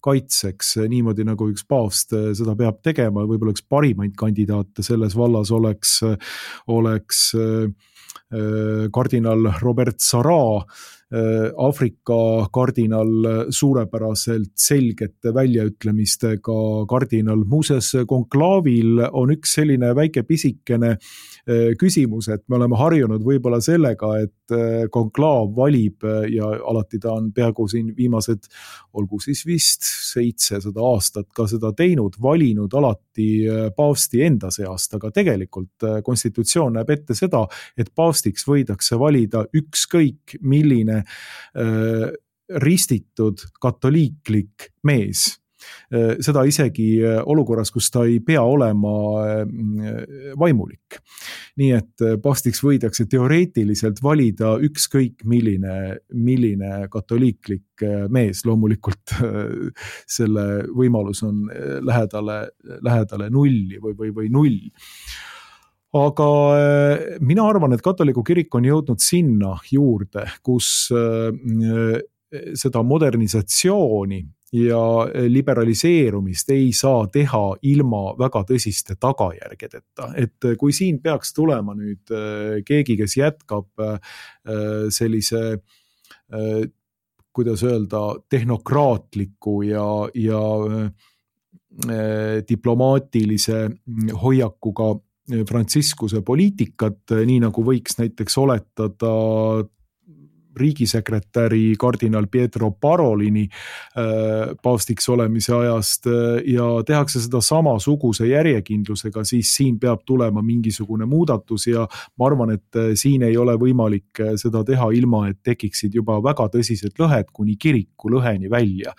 kaitseks niimoodi, nagu üks paavst seda peab tegema ja võib-olla üks parimaid kandidaate selles vallas oleks kardinal Robert Sarah, Aafrika kardinal, suurepäraselt selgete väljaütlemistega kardinal. Muuseas, konklaavil on üks selline väike pisikene küsimus, et me oleme harjunud võib-olla sellega, et konklaav valib ja alati ta on peaaegu siin viimased, olgu siis vist 700 aastat ka seda teinud, valinud alati paavsti enda seast, aga tegelikult konstitutsioon näeb ette seda, et paavstiks võidakse valida ükskõik milline ristitud katoliiklik mees. Seda isegi olukorras, kus ta ei pea olema vaimulik. Nii et paavstiks võidakse teoreetiliselt valida ükskõik milline katoliiklik mees. Loomulikult selle võimalus on lähedale nulli või null. Aga mina arvan, et katoliku kirik on jõudnud sinna juurde, kus seda modernisatsiooni ja liberaliseerumist ei saa teha ilma väga tõsiste tagajärgedeta. Et kui siin peaks tulema nüüd keegi, kes jätkab sellise, kuidas öelda, tehnokraatliku ja diplomaatilise hoiakuga Franciscuse poliitikat, nii nagu võiks näiteks oletada riigisekretäri kardinal Pietro Parolini paavstiks olemise ajast ja tehakse seda samasuguse järjekindlusega, siis siin peab tulema mingisugune muudatus ja ma arvan, et siin ei ole võimalik seda teha ilma, et tekiksid juba väga tõsised lõhed kuni kiriku lõheni välja.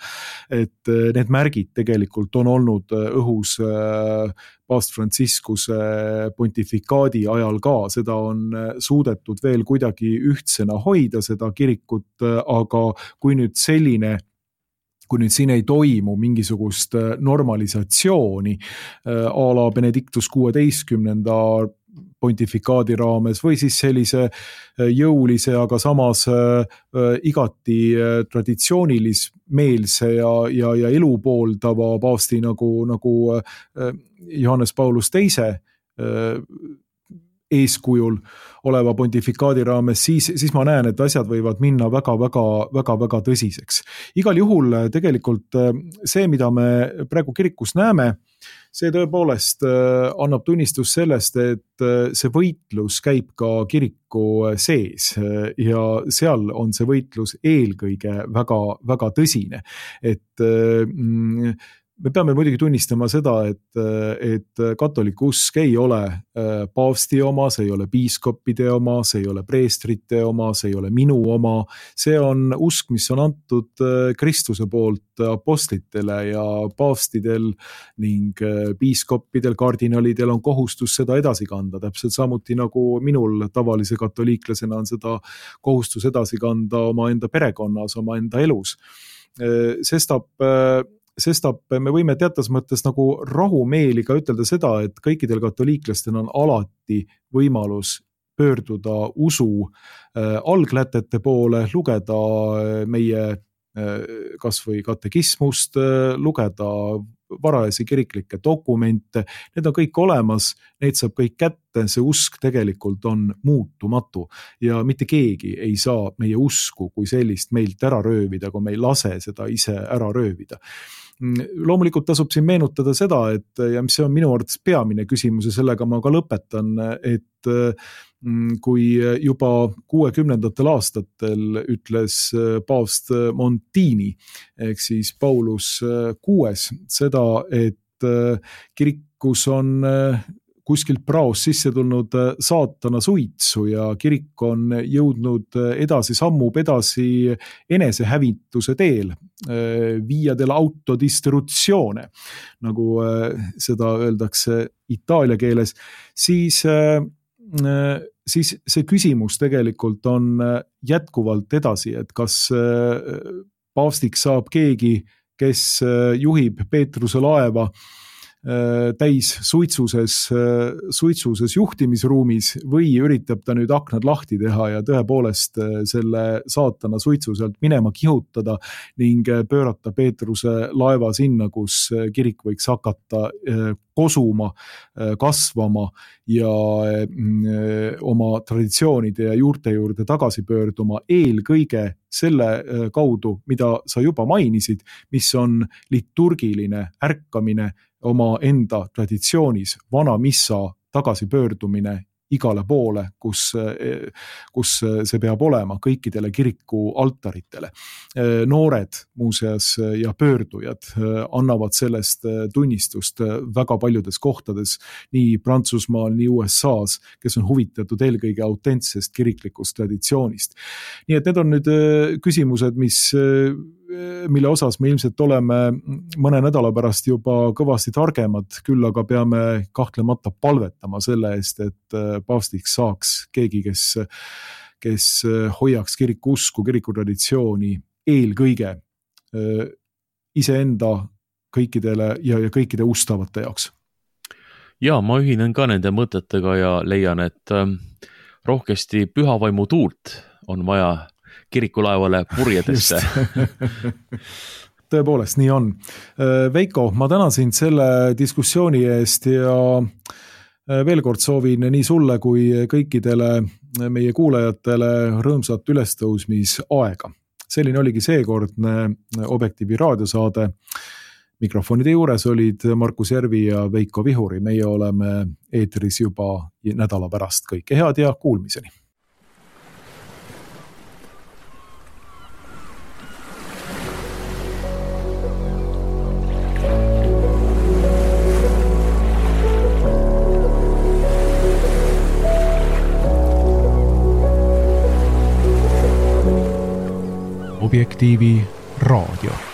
Et need märgid tegelikult on olnud õhus paavst Franciscuse pontifikaadi ajal ka, seda on suudetud veel kuidagi ühtsena hoida, seda kirikut, aga kui nüüd siin ei toimu mingisugust normalisatsiooni a la Benedictus 16. pontifikaadi raames või siis sellise jõulise, aga samas igati traditsioonilismeelse ja elu pooldava paavsti nagu Johannes Paulus II eeskujul oleva pontifikaadi raames, siis ma näen, et asjad võivad minna väga tõsiseks. Igal juhul tegelikult see, mida me praegu kirikus näeme, see tõepoolest annab tunnistus sellest, et see võitlus käib ka kiriku sees ja seal on see võitlus eelkõige väga tõsine. Et me peame muidugi tunnistama seda, et katoliku usk ei ole paavsti oma, see ei ole piiskopide oma, see ei ole preestrite oma, see ei ole minu oma. See on usk, mis on antud Kristuse poolt apostlitele ja paavstidel ning piiskopidel, kardinalidel on kohustus seda edasi kanda. Täpselt samuti nagu minul tavalise katoliiklasena on seda kohustus edasi kanda oma enda perekonnas, oma enda elus. Sestap me võime teatas mõttes nagu rahumeeli ka ütelda seda, et kõikidel katoliiklastel on alati võimalus pöörduda usu alglätete poole, lugeda meie kas või katekismust, lugeda varajasi kiriklikke dokumente, need on kõik olemas, neid saab kõik kätte, see usk tegelikult on muutumatu ja mitte keegi ei saa meie usku kui sellist meilt ära röövida, kui me ei lase seda ise ära röövida. Loomulikult tasub siin meenutada seda, et ja mis see on minu arvates peamine küsimus ja sellega ma ka lõpetan, et kui juba 60. aastatel ütles paavst Montini ehk siis Paulus VI seda, et kirikus on kuskilt praos sisse tulnud saatana suitsu ja kirik on jõudnud sammub edasi enesehävituse teel, via dell'autodistruzione, nagu seda öeldakse itaalia keeles, siis see küsimus tegelikult on jätkuvalt edasi, et kas paavstiks saab keegi, kes juhib Peetruse laeva täis suitsuses juhtimisruumis või üritab ta nüüd aknad lahti teha ja tõepoolest selle saatana suitsu sealt minema kihutada ning pöörata Peetruse laeva sinna, kus kirik võiks hakata kosuma, kasvama ja oma traditsioonide ja juurte juurde tagasi pöörduma eelkõige selle kaudu, mida sa juba mainisid, mis on liturgiline ärkamine oma enda traditsioonis, vana missa tagasipöördumine igale poole, kus see peab olema, kõikidele kiriku altaritele. Noored muuseas ja pöördujad annavad sellest tunnistust väga paljudes kohtades, nii Prantsusmaal, nii USAs, kes on huvitatud eelkõige autentsest kiriklikust traditsioonist. Nii et need on nüüd küsimused, mille osas me ilmselt oleme mõne nädala pärast juba kõvasti targemad, küll aga peame kahtlemata palvetama selle eest, et paavstiks saaks keegi, kes hoiaks kiriku usku, kiriku traditsiooni eelkõige iseenda kõikidele ja kõikide ustavate jaoks. Ja, ma ühinen ka nende mõtetega ja leian, et rohkesti pühavaimu tuult on vaja kirikulaevale purjedesse. Tõepoolest, nii on. Veiko, ma tänan sind selle diskussiooni eest ja veel kord soovin nii sulle kui kõikidele meie kuulajatele rõõmsat ülestõusmisaega. Selline oligi seekordne Objektiivi raadiosaade. Mikrofonide juures olid Markus Järvi ja Veiko Vihuri. Meie oleme eetris juba nädala pärast. Kõike head ja kuulmiseni! Objektiivi raadio